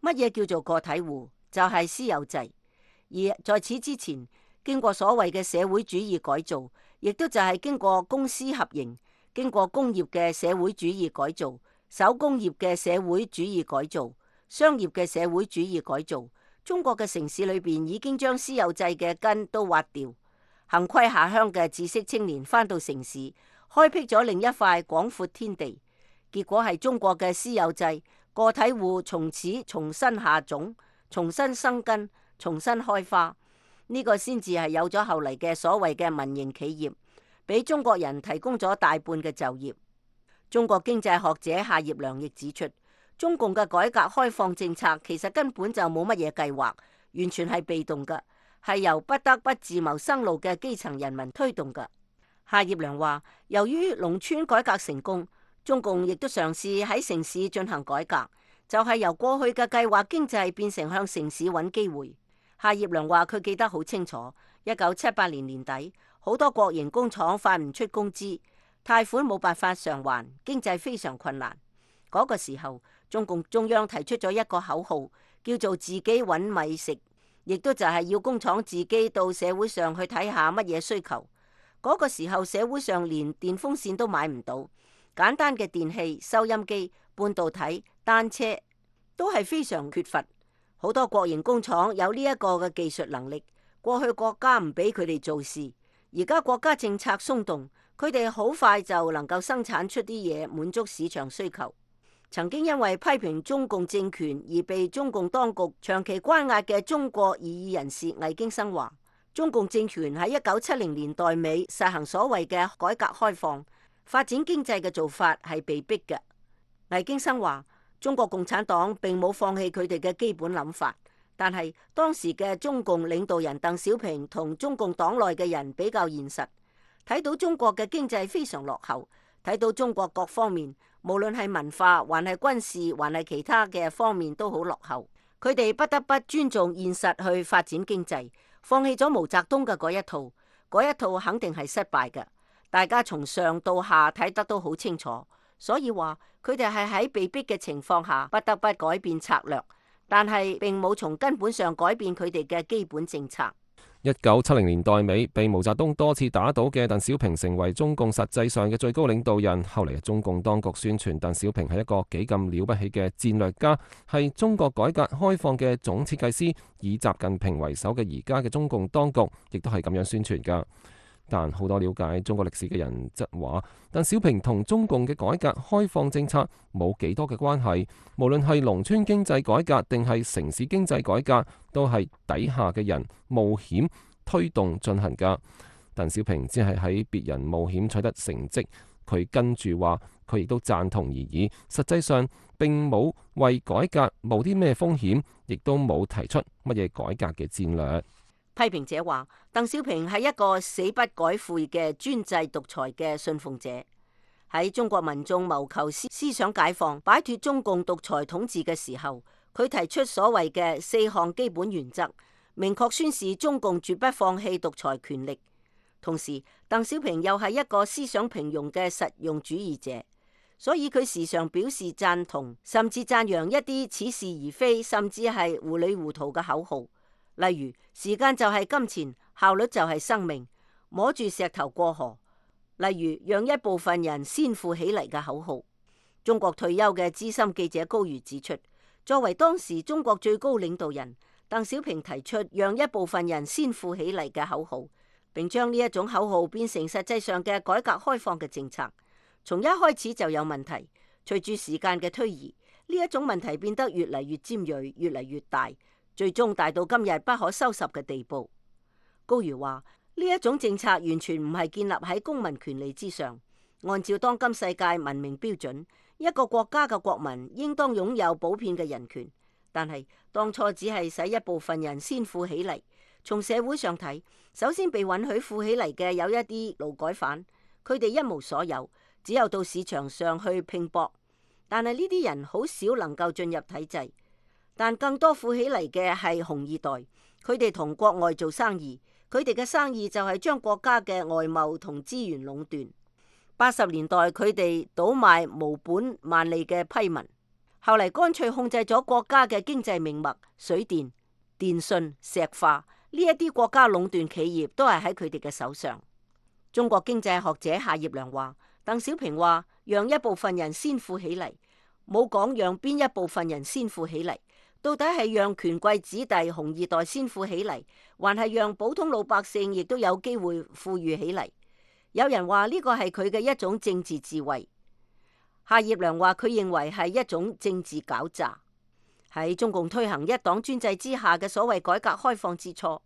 乜嘢叫做個體戶？就係私有制。而在此之前，經過所謂嘅社會主義改造，亦都就係經過公私合營，經過工業嘅社會主義改造、手工業嘅社會主義改造、商業嘅社會主義改造，中國嘅城市裏邊已經將私有制嘅根都挖掉。幸虧下鄉嘅知識青年返到城市，開闢咗另一塊廣闊天地。結果係中國嘅私有制，個體戶從此重新下種，重新生根，重新開花。呢個先至係有咗後嚟嘅所謂嘅民營企業，俾中國人提供咗大半嘅就業。中國經濟學者夏業良亦指出，中共嘅改革開放政策其實根本就冇乜嘢計劃，完全係被動嘅，係由不得不自謀生路嘅基層人民推動嘅。夏業良話，由於農村改革成功，中共亦都嘗試喺城市進行改革，就係由過去嘅計劃經濟變成向城市揾機會。夏業良話佢記得好清楚，1978年年底，好多國營工廠發唔出工資，貸款冇辦法償還，經濟非常困難。嗰個時候，中共中央提出咗一個口號，叫做自己揾米食，亦都就係要工廠自己到社會上去睇下乜嘢需求。嗰個時候，社會上連電風扇都買唔到。簡單嘅電器、收音機、半導體、單車都係非常缺乏。好多國營工廠有呢一個嘅技術能力，過去國家唔俾佢哋做事，而家國家政策鬆動，佢哋好快就能夠生產出啲嘢，滿足市場需求。曾經因為批評中共政權而被中共當局長期關押嘅中國異議人士魏京生話，中共政權喺1970年代尾實行所謂嘅改革開放，發展經濟嘅做法係被逼嘅。魏京生話，中國共產黨並冇放棄佢哋嘅基本諗法，但係當時嘅中共領導人鄧小平同中共黨內嘅人比較現實，睇到中國嘅經濟非常落後，睇到中國各方面無論係文化還係軍事還係其他嘅方面都好落後，佢哋不得不尊重現實去發展經濟，放棄咗毛澤東嘅嗰一套肯定係失敗嘅。大家從上到下睇得都好清楚，所以話佢哋係喺被逼嘅情況下不得不改變策略，但係並冇從根本上改變佢哋嘅基本政策。1970年代尾，被毛澤東多次打倒嘅鄧小平成為中共實際上嘅最高領導人。後嚟中共當局宣傳鄧小平係一個幾咁了不起嘅戰略家，係中國改革開放嘅總設計師，以習近平為首嘅而家嘅中共當局亦都係咁樣宣傳㗎。但好多了解中國歷史嘅人則話，鄧小平同中共嘅改革開放政策冇幾多嘅關係，無論係農村經濟改革定係城市經濟改革，都係底下嘅人冒險推動進行㗎。鄧小平只係喺別人冒險取得成績，佢跟住話佢亦都贊同而已，實際上並冇為改革冒啲咩風險，亦都冇提出乜嘢改革嘅戰略。批評者話，鄧小平係一個死不改悔嘅專制獨裁嘅信奉者。喺中國民眾謀求思想解放、擺脫中共獨裁統治嘅時候，佢提出所謂嘅4項基本原則，明確宣示中共絕不放棄獨裁權力。同時，鄧小平又係一個思想平庸嘅實用主義者，所以佢時常表示贊同，甚至讚揚一啲似是而非，甚至係糊裏糊塗嘅口號。例如，時間就係金錢，效率就係生命，摸住石頭過河。例如，讓一部分人先富起嚟嘅口號。中國退休嘅資深記者高瑜指出，作為當時中國最高領導人，鄧小平提出讓一部分人先富起嚟嘅口號，並將呢一種口號變成實際上嘅改革開放嘅政策。從一開始就有問題，隨住時間嘅推移，呢一種問題變得越嚟越尖銳，越嚟越大。最終大到今日不可收拾嘅地步。高瑜話：呢一種政策完全唔係建立喺公民權利之上。按照當今世界文明標準，一個國家嘅國民應當擁有普遍嘅人權。但係當初只係使一部分人先富起嚟。從社會上睇，首先被允許富起嚟嘅有一啲勞改犯，佢哋一無所有，只有到市場上去拼搏。但係呢啲人好少能夠進入體制。但更多富起嚟嘅係紅二代，佢哋同國外做生意，佢哋嘅生意就係將國家嘅外貿同資源壟斷。80年代佢哋倒賣無本萬利嘅批文，後嚟乾脆控制咗國家嘅經濟命脈，水電、電信、石化呢一啲國家壟斷企業都係喺佢哋嘅手上。中國經濟學者夏業良話：鄧小平話讓一部分人先富起嚟，冇講讓邊一部分人先富起嚟。到底係讓權貴子弟紅二代先富起嚟，還係讓普通老百姓亦都有機會富裕起嚟？有人話呢個係佢嘅一種政治智慧。夏業良話佢認為係一種政治狡詐。喺中共推行一黨專制之下嘅所謂改革開放之初，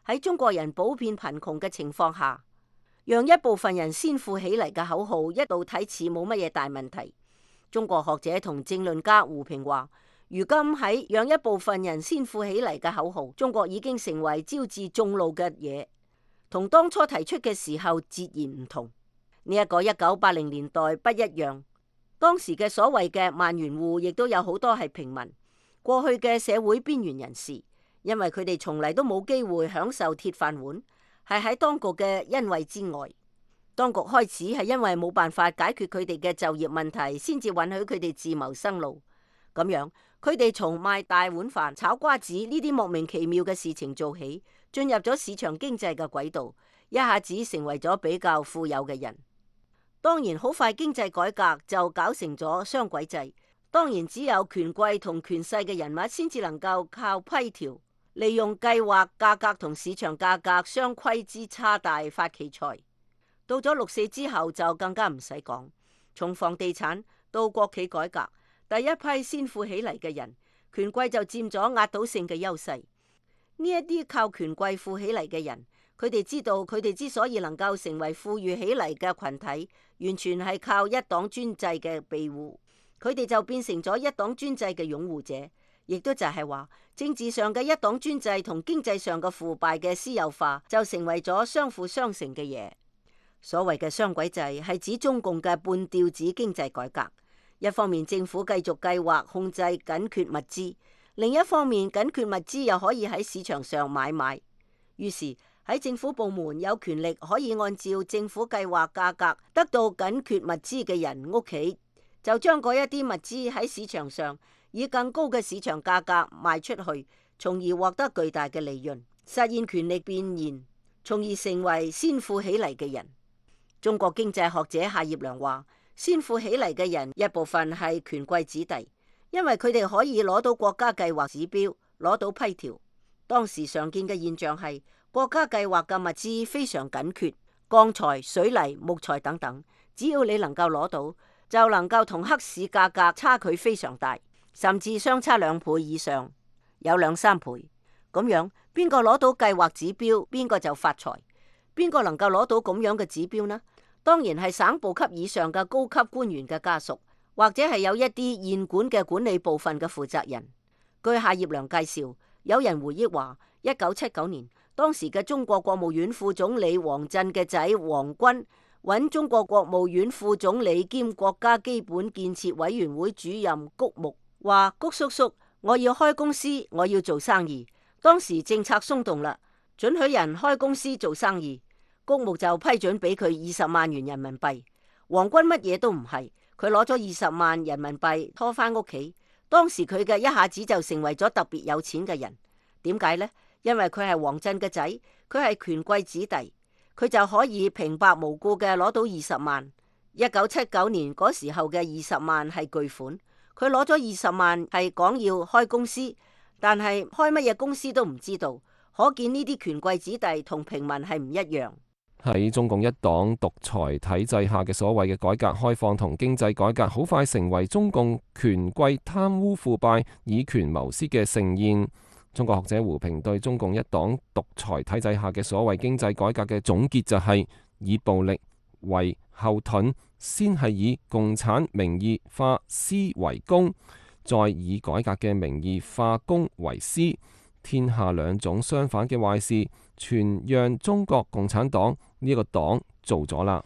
喺中國人普遍貧窮嘅情況下，讓一部分人先富起嚟嘅口號一度睇似冇乜嘢大問題。中國學者同政論家胡平話：如今喺讓一部分人先富起嚟嘅口號，中國已經成為招致眾怒嘅嘢，同當初提出嘅時候截然唔同。呢一個1980年代不一樣，當時嘅所謂嘅萬元戶亦都有好多係平民，過去嘅社會邊緣人士，因為佢哋從嚟都冇機會享受鐵飯碗，係喺當局嘅恩惠之外。當局開始係因為冇辦法解決佢哋嘅就業問題，先至允許佢哋自謀生路。咁樣，佢哋從賣大碗飯、炒瓜子呢啲莫名其妙嘅事情做起，進入咗市場經濟嘅軌道，一下子成為咗比較富有嘅人。當然，好快經濟改革就搞成咗雙軌制。當然，只有權貴同權勢嘅人物先至能夠靠批條，利用計劃價格同市場價格雙規之差大發奇財。到咗6.4之後就更加唔使講，從房地產到國企改革。第一批先富起嚟嘅人，權貴就佔咗壓倒性嘅優勢。呢一啲靠權貴富起嚟嘅人，佢哋知道佢哋之所以能夠成為富裕起嚟嘅群體，完全係靠一黨專制嘅庇護。佢哋就變成咗一黨專制嘅擁護者，亦都就係話政治上嘅一黨專制同經濟上嘅腐敗嘅私有化就成為咗相輔相成嘅嘢。所謂嘅雙軌制係指中共嘅半吊子經濟改革，一方面政府繼續計劃控制緊缺物資，另一方面緊缺物資又可以喺市場上買賣，於是喺政府部門有權力可以按照政府計劃價格得到緊缺物資嘅人屋企，就將嗰一啲物資喺市場上以更高嘅市場價格賣出去，從而獲得巨大嘅利潤，實現權力變現，從而成為先富起嚟嘅人。中國經濟學者夏業良話，先富起嚟嘅人一部分係權貴子弟，因為佢哋可以攞到國家計劃指標，攞到批條。當時常見嘅現象係國家計劃嘅物資非常緊缺，鋼材、水泥、木材等等，只要你能夠攞到，就能夠同黑市價格差距非常大，甚至相差2倍以上，有2-3倍。咁樣邊個攞到計劃指標，邊個就發財。邊個能夠攞到咁樣嘅指標呢？當然係省部級以上嘅高級官員嘅家屬，或者係有一啲縣管嘅管理部分嘅負責人。據夏業良介紹，有人回憶話，1979年當時嘅中國國務院副總理王震嘅仔王軍揾中國國務院副總理兼國家基本建設委員會主任谷牧，話谷叔叔，我要開公司，我要做生意。當時政策鬆動啦，准許人開公司做生意。谷牧就批准俾佢20萬元人民幣。王軍乜嘢都唔係，佢攞咗20萬人民幣拖返屋企。當時佢嘅一下子就成為咗特別有錢嘅人。點解呢？因為佢係王震嘅仔，佢係權貴子弟，佢就可以平白無故嘅攞到20萬。1979年嗰時候嘅20萬係巨款，佢攞咗20萬係講要開公司，但係開乜嘢公司都唔知道。可見呢啲權貴子弟同平民係唔一樣。喺中共一黨獨裁體制下嘅所謂嘅改革開放同經濟改革，好快成為中共權貴貪污腐敗、以權謀私嘅盛宴。中國學者胡平對中共一黨獨裁體制下嘅所謂經濟改革嘅總結就係：以暴力為後盾，先係以共產名義化私為公，再以改革嘅名義化公為私。天下兩種相反嘅壞事，全讓中國共產黨呢個黨做咗啦。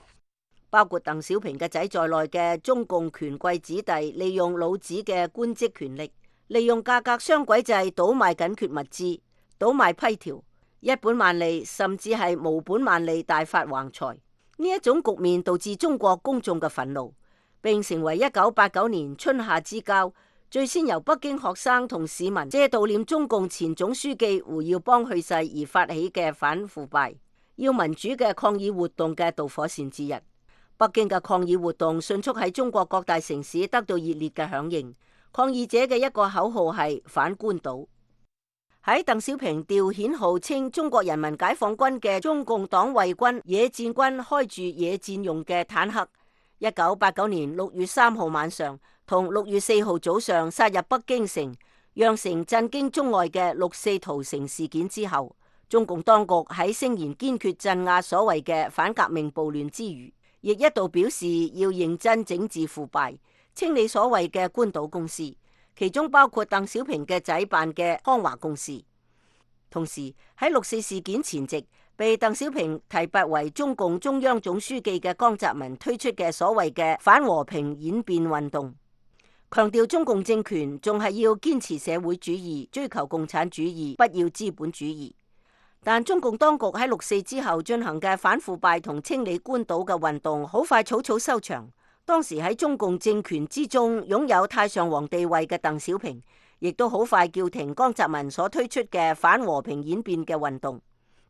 包括鄧小平嘅仔在內嘅中共權貴子弟，利用老子嘅官職權力，利用價格雙軌制倒賣緊缺物資，倒賣批條，一本萬利甚至係無本萬利大發橫財。呢一種局面導致中國公眾嘅憤怒，並成為1989年春夏之交最先由北京學生同市民借悼念中共前總書記胡耀邦去世而發起嘅反腐敗、要民主嘅抗議活動嘅導火線之一。北京嘅抗議活動迅速喺中國各大城市得到熱烈嘅響應。抗議者嘅一個口號係反官倒。喺鄧小平調遣號稱中國人民解放軍嘅中共黨衛軍野戰軍開住野戰用嘅坦克，1989年6月3號晚上同6月4號早上殺入北京城，釀成震驚中外嘅6.4屠城事件之後，中共當局喺聲言堅決鎮壓所謂嘅反革命暴亂之餘，亦一度表示要認真整治腐敗，清理所謂嘅官倒公司，其中包括鄧小平嘅仔辦嘅康華公司。同時喺6.4事件前夕，被鄧小平提拔為中共中央總書記嘅江澤民推出嘅所謂嘅反和平演變運動，強調中共政權仲係要堅持社會主義，追求共產主義，不要資本主義。但中共當局喺6.4之後進行嘅反腐敗同清理官倒嘅運動，好快草草收場。當時喺中共政權之中擁有太上皇地位嘅鄧小平，亦都好快叫停江澤民所推出嘅反和平演變嘅運動，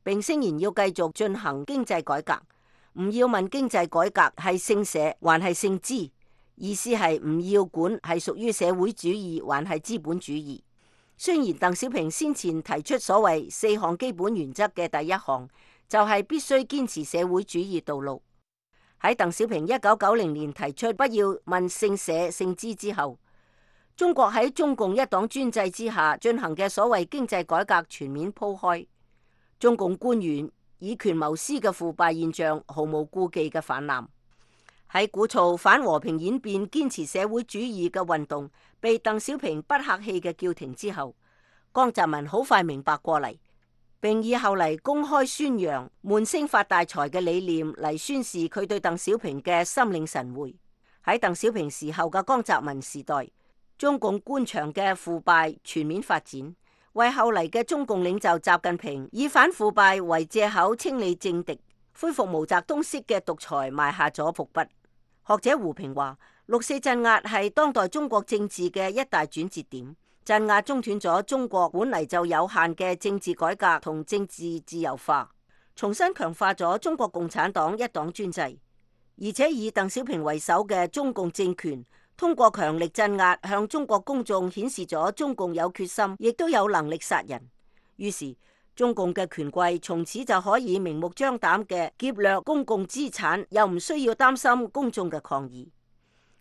並聲言要繼續進行經濟改革。唔要問經濟改革係姓社還係姓資，意思係唔要管係屬於社會主義還係資本主義。雖然鄧小平先前提出所謂4項基本原則嘅第一項，就係必須堅持社會主義道路。喺鄧小平1990年提出不要問姓社姓資之後，中國喺中共一黨專制之下進行嘅所謂經濟改革全面鋪開，中共官員以權謀私嘅腐敗現象毫無顧忌嘅泛濫。喺鼓噪反和平演變、堅持社會主義嘅運動被鄧小平不客氣嘅叫停之後，江澤民好快明白過嚟，並以後嚟公開宣揚悶聲發大財嘅理念嚟宣示佢對鄧小平嘅心領神會。喺鄧小平時候嘅江澤民時代，中共官場嘅腐敗全面發展，為後嚟嘅中共領袖習近平以反腐敗為借口清理政敵、恢復毛澤東式嘅獨裁埋下咗伏筆。學者胡平話，六四鎮壓係當代中國政治嘅一大轉折點，鎮壓中斷咗中國本嚟就有限嘅政治改革同政治自由化，重新強化咗中國共產黨一黨專制，而且以鄧小平為首嘅中共政權通過強力鎮壓向中國公眾顯示咗中共有決心，亦都有能力殺人。於是中共嘅權貴從此就可以明目張膽嘅劫掠公共資產，又唔需要擔心公眾嘅抗議。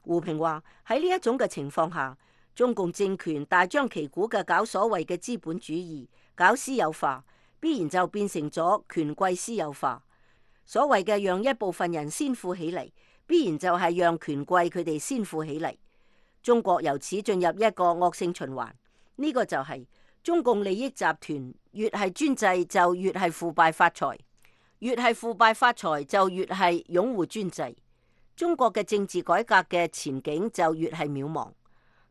胡平話，喺呢一種嘅情況下，中共政權大張旗鼓嘅搞所謂嘅資本主義，搞私有化，必然就變成咗權貴私有化。所謂嘅讓一部分人先富起嚟，必然就係讓權貴佢哋先富起嚟。中國由此進入一個惡性循環，呢個就係中共利益集團越係專制就越係腐敗發財，越係腐敗發財就越係擁護專制。中國嘅政治改革嘅前景就越係渺茫。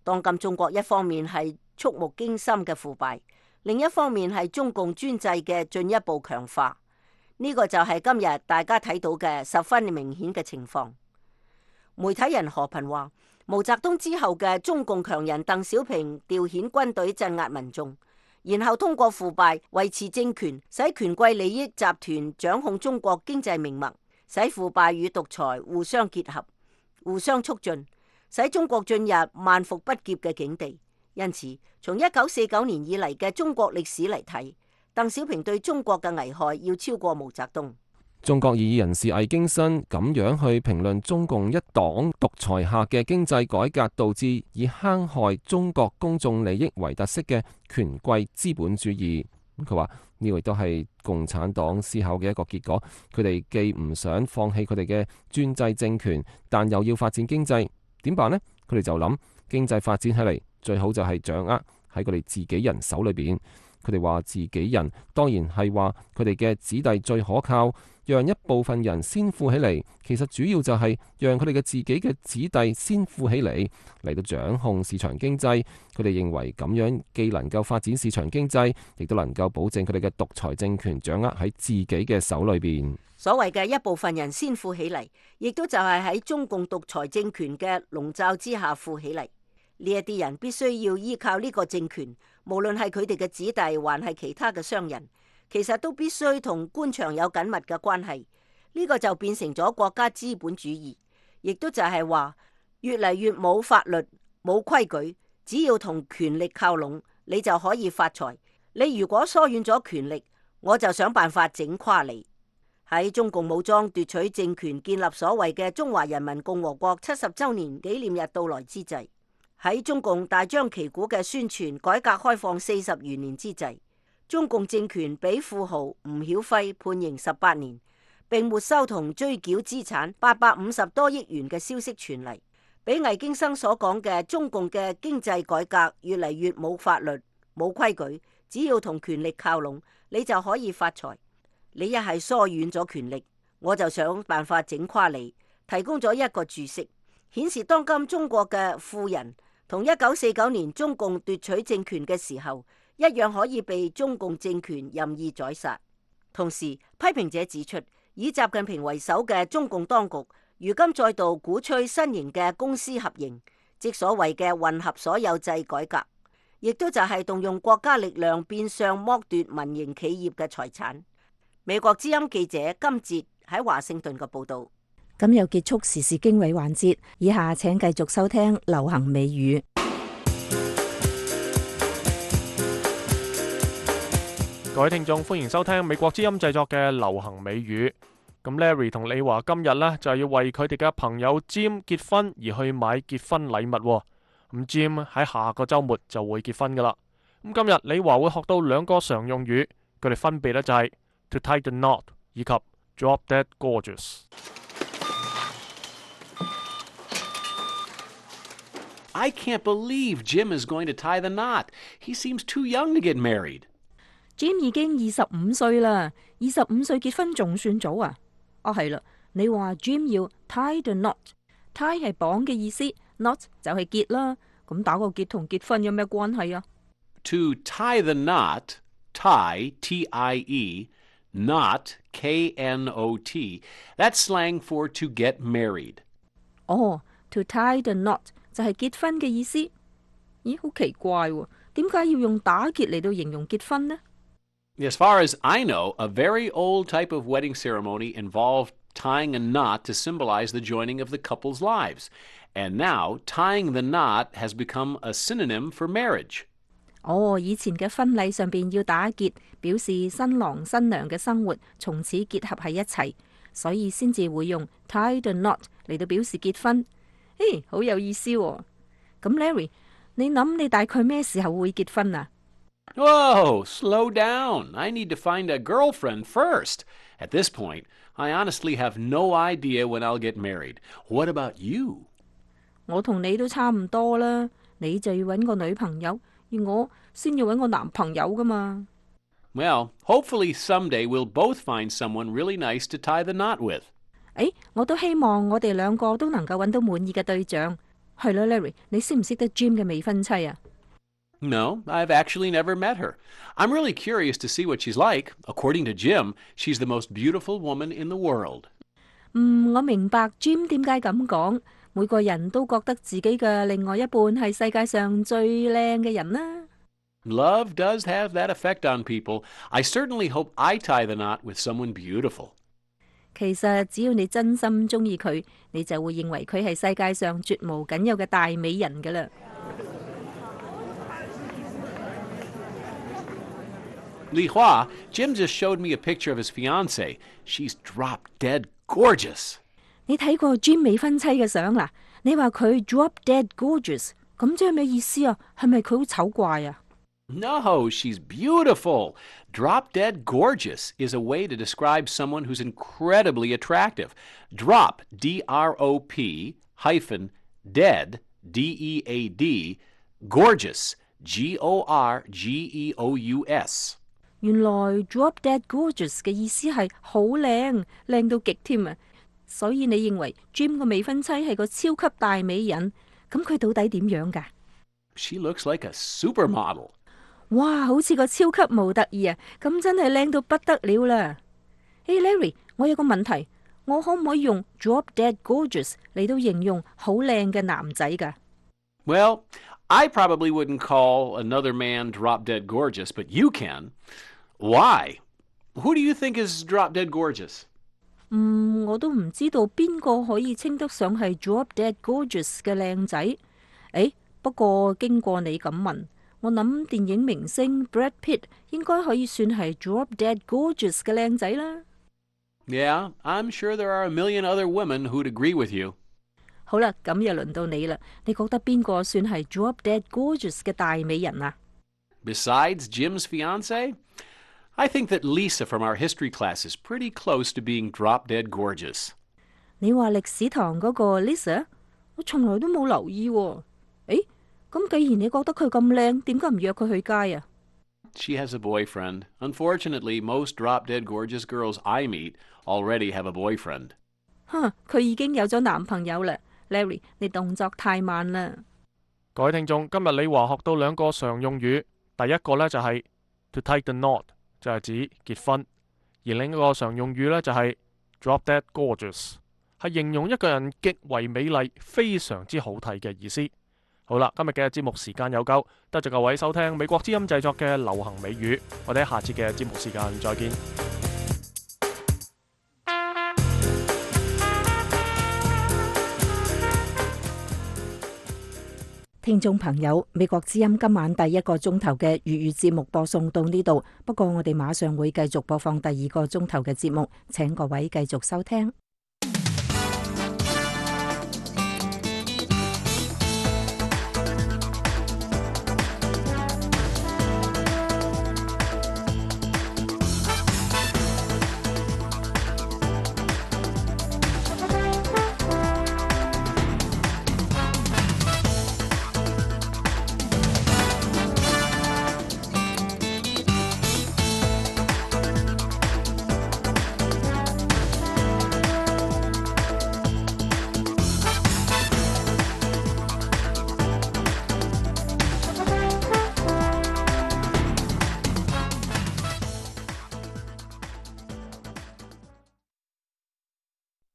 當今中國一方面係觸目驚心嘅腐敗，另一方面係中共專制嘅進一步強化。呢個就係今日大家睇到嘅十分明顯嘅情況。媒體人何頻話，毛澤東之後嘅中共強人鄧小平調遣軍隊鎮壓民眾，然後通過腐敗維持政權，使權貴利益集團掌控中國經濟命脈，使腐敗與獨裁互相結合、互相促進，使中國進入萬復不劫嘅境地。因此，從1949年以嚟嘅中國歷史嚟睇，鄧小平對中國嘅危害要超過毛澤東。中國異議人士魏京新咁樣去評論中共一黨獨裁下嘅經濟改革導致以坑害中國公眾利益為特色嘅權貴資本主義。佢話呢個亦都係共產黨思考嘅一個結果。佢哋既唔想放棄佢哋嘅專制政權，但又要發展經濟，點辦呢？佢哋就諗經濟發展起嚟最好就係掌握喺佢哋自己人手裏邊。佢哋話自己人當然係話佢哋嘅子弟最可靠，讓一部分人先富起嚟，其實主要就係讓佢哋嘅自己嘅子弟先富起嚟到掌控市場經濟。佢哋認為咁樣既能夠發展市場經濟，亦都能夠保證佢哋嘅獨裁政權掌握喺自己嘅手裏邊。所謂嘅一部分人先富起嚟，亦都就係喺中共獨裁政權嘅籠罩之下富起嚟。呢一啲人必須要依靠呢個政權，無論係佢哋嘅子弟，還係其他嘅商人，其實都必須同官場有緊密嘅關係。呢個就變成咗國家資本主義，亦都就係話越嚟越冇法律、冇規矩，只要同權力靠攏，你就可以發財。你如果疏遠咗權力，我就想辦法整垮你。喺中共武裝奪取政權、建立所謂嘅中華人民共和國70週年紀念日到來之際，喺中共大張旗鼓嘅宣傳改革開放40餘年之際，中共政權俾富豪吳曉輝判刑18年，並沒收同追繳資產850多億元嘅消息傳嚟，比魏京生所講嘅中共嘅經濟改革越嚟越冇法律、冇規矩，只要同權力靠攏，你就可以發財。你一係疏遠咗權力，我就想辦法整垮你。提供咗一個注釋，顯示當今中國嘅富人同1949年中共奪取政權嘅時候一樣，可以被中共政權任意宰殺。同時，批評者指出，以習近平為首嘅中共當局如今再度鼓吹新型嘅公私合營，即所謂嘅混合所有制改革，亦都就係動用國家力量變相剝奪民營企業嘅財產。美國之音記者金哲喺華盛頓嘅報道。咁又結束時事經緯環節，以下請繼續收聽流行美語。各位聽眾，歡迎收聽美國之音製作嘅流行美語。咁 Larry 同李華今日呢，就係要為佢哋嘅朋友 Jim 結婚而去買結婚禮物。咁 Jim 喺下個週末就會結婚噶啦。咁今日李華會學到2個常用語，佢哋分別呢就係 to tie the knot 以及 drop dead gorgeous。I can't believe Jim is going to tie the knot. He seems too young to get married. Jim 已經25歲啦，25歲結婚仲算早啊？哦係啦，你話 Jim 要 tie the knot，tie 係綁嘅意思 ，knot 就係結啦。咁打個結同結婚有咩關係啊？ To tie the knot, tie, T-I-E, knot, K-N-O-T, that's slang for to get married. 哦 ，to tie the knot 就係結婚嘅意思。咦，好奇怪喎，點解要用打結嚟到形容結婚呢？ As far as I know, a very old type of wedding ceremony involved tying a knot to symbolize the joining of the couple's lives. And now, tying the knot has become a synonym for marriage. 哦，以前嘅婚禮上邊要打結，表示新郎新娘嘅生活從此結合喺一齊，所以先至會用 tie the knot 嚟到表示結婚。誒，好有意思喎。咁 Larry，你諗你大概咩時候會結婚啊？ Whoa, slow down. I need to find a girlfriend first. At this point, I honestly have no idea when I'll get married. What about you? 我同你都差唔多啦，你就要揾個女朋友，而我先要揾個男朋友噶嘛。 Well, hopefully someday we'll both find someone really nice to tie the knot with. 誒，我都希望我哋兩個都能夠揾到滿意嘅對象。係啦 ，Larry，你識唔識得 Jim 嘅未婚妻啊？ No, I've actually never met her. I'm really curious to see what she's like. According to Jim, she's the most beautiful woman in the world. 我明白 Jim 點解咁講。每個人都覺得自己嘅另外一半係世界上最靚嘅人啦。 Love does have that effect on people. I certainly hope I tie the knot with someone beautiful. 其實只要你真心中意佢，你就會認為佢係世界上絕無僅有嘅大美人㗎啦。Li Hua, Jim just showed me a picture of his fiancée. She's drop-dead gorgeous. 你睇過 Jim 未婚妻嘅相啦？你話佢 drop dead gorgeous， 咁即係咩意思啊？係咪佢好醜怪啊？ No, she's beautiful. Drop-dead gorgeous is a way to describe someone who's incredibly attractive. Drop, D-R-O-P, hyphen, dead, D-E-A-D, gorgeous, G-O-R-G-E-O-U-S. 原來 drop dead gorgeous 嘅意思係好靚，靚到極添啊！所以你認為 Jim 個未婚妻係個超級大美人，咁佢到底點樣㗎？ She looks like a supermodel. 哇，好似個超級模特兒啊！咁真係靚到不得了啦！誒 Larry， 我有個問題，我可唔可以用 drop dead gorgeous 嚟到形容好靚嘅男仔㗎？ Well, I probably wouldn't call another man drop-dead gorgeous, but you can. Why? Who do you think is drop-dead gorgeous? 我都唔知道邊個可以稱得上係 drop dead gorgeous 嘅靚仔。誒，不過經過你咁問，我諗電影明星 Brad Pitt 應該可以算係 drop dead gorgeous 嘅靚仔啦。Yeah, I'm sure there are a million other women who'd agree with you. 好啦，咁又輪到你啦。你覺得邊個算係 drop dead gorgeous 嘅大美人啊？ Besides Jim's fiancée, I think that Lisa from our history class is pretty close to being drop-dead gorgeous. 你話歷史堂嗰個 Lisa， 我從來都冇留意喎。誒，咁既然你覺得佢咁靚，點解唔約佢去街啊？ She has a boyfriend. Unfortunately, most drop-dead gorgeous girls I meet already have a boyfriend. 佢已經有咗男朋友啦。Larry， 你動作太慢啦。各位聽眾，今日李華學到兩個常用語，第一個呢就係 to tie the knot， 就係指結婚；而另一個常用語呢就係 drop dead gorgeous， 係形容一個人極為美麗、非常之好睇嘅意思。好啦，今日嘅節目時間有夠，多謝各位收聽美國之音製作嘅流行美語，我哋下次嘅節目時間再見。聽眾朋友，美國之音今晚第一個鐘頭嘅粵語節目播送到呢度，不過我哋馬上會繼續播放第二個鐘頭嘅節目，請各位繼續收聽。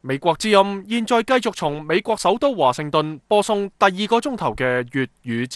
美國之音現在繼續從美國首都華盛頓播送第2個鐘頭嘅粵語節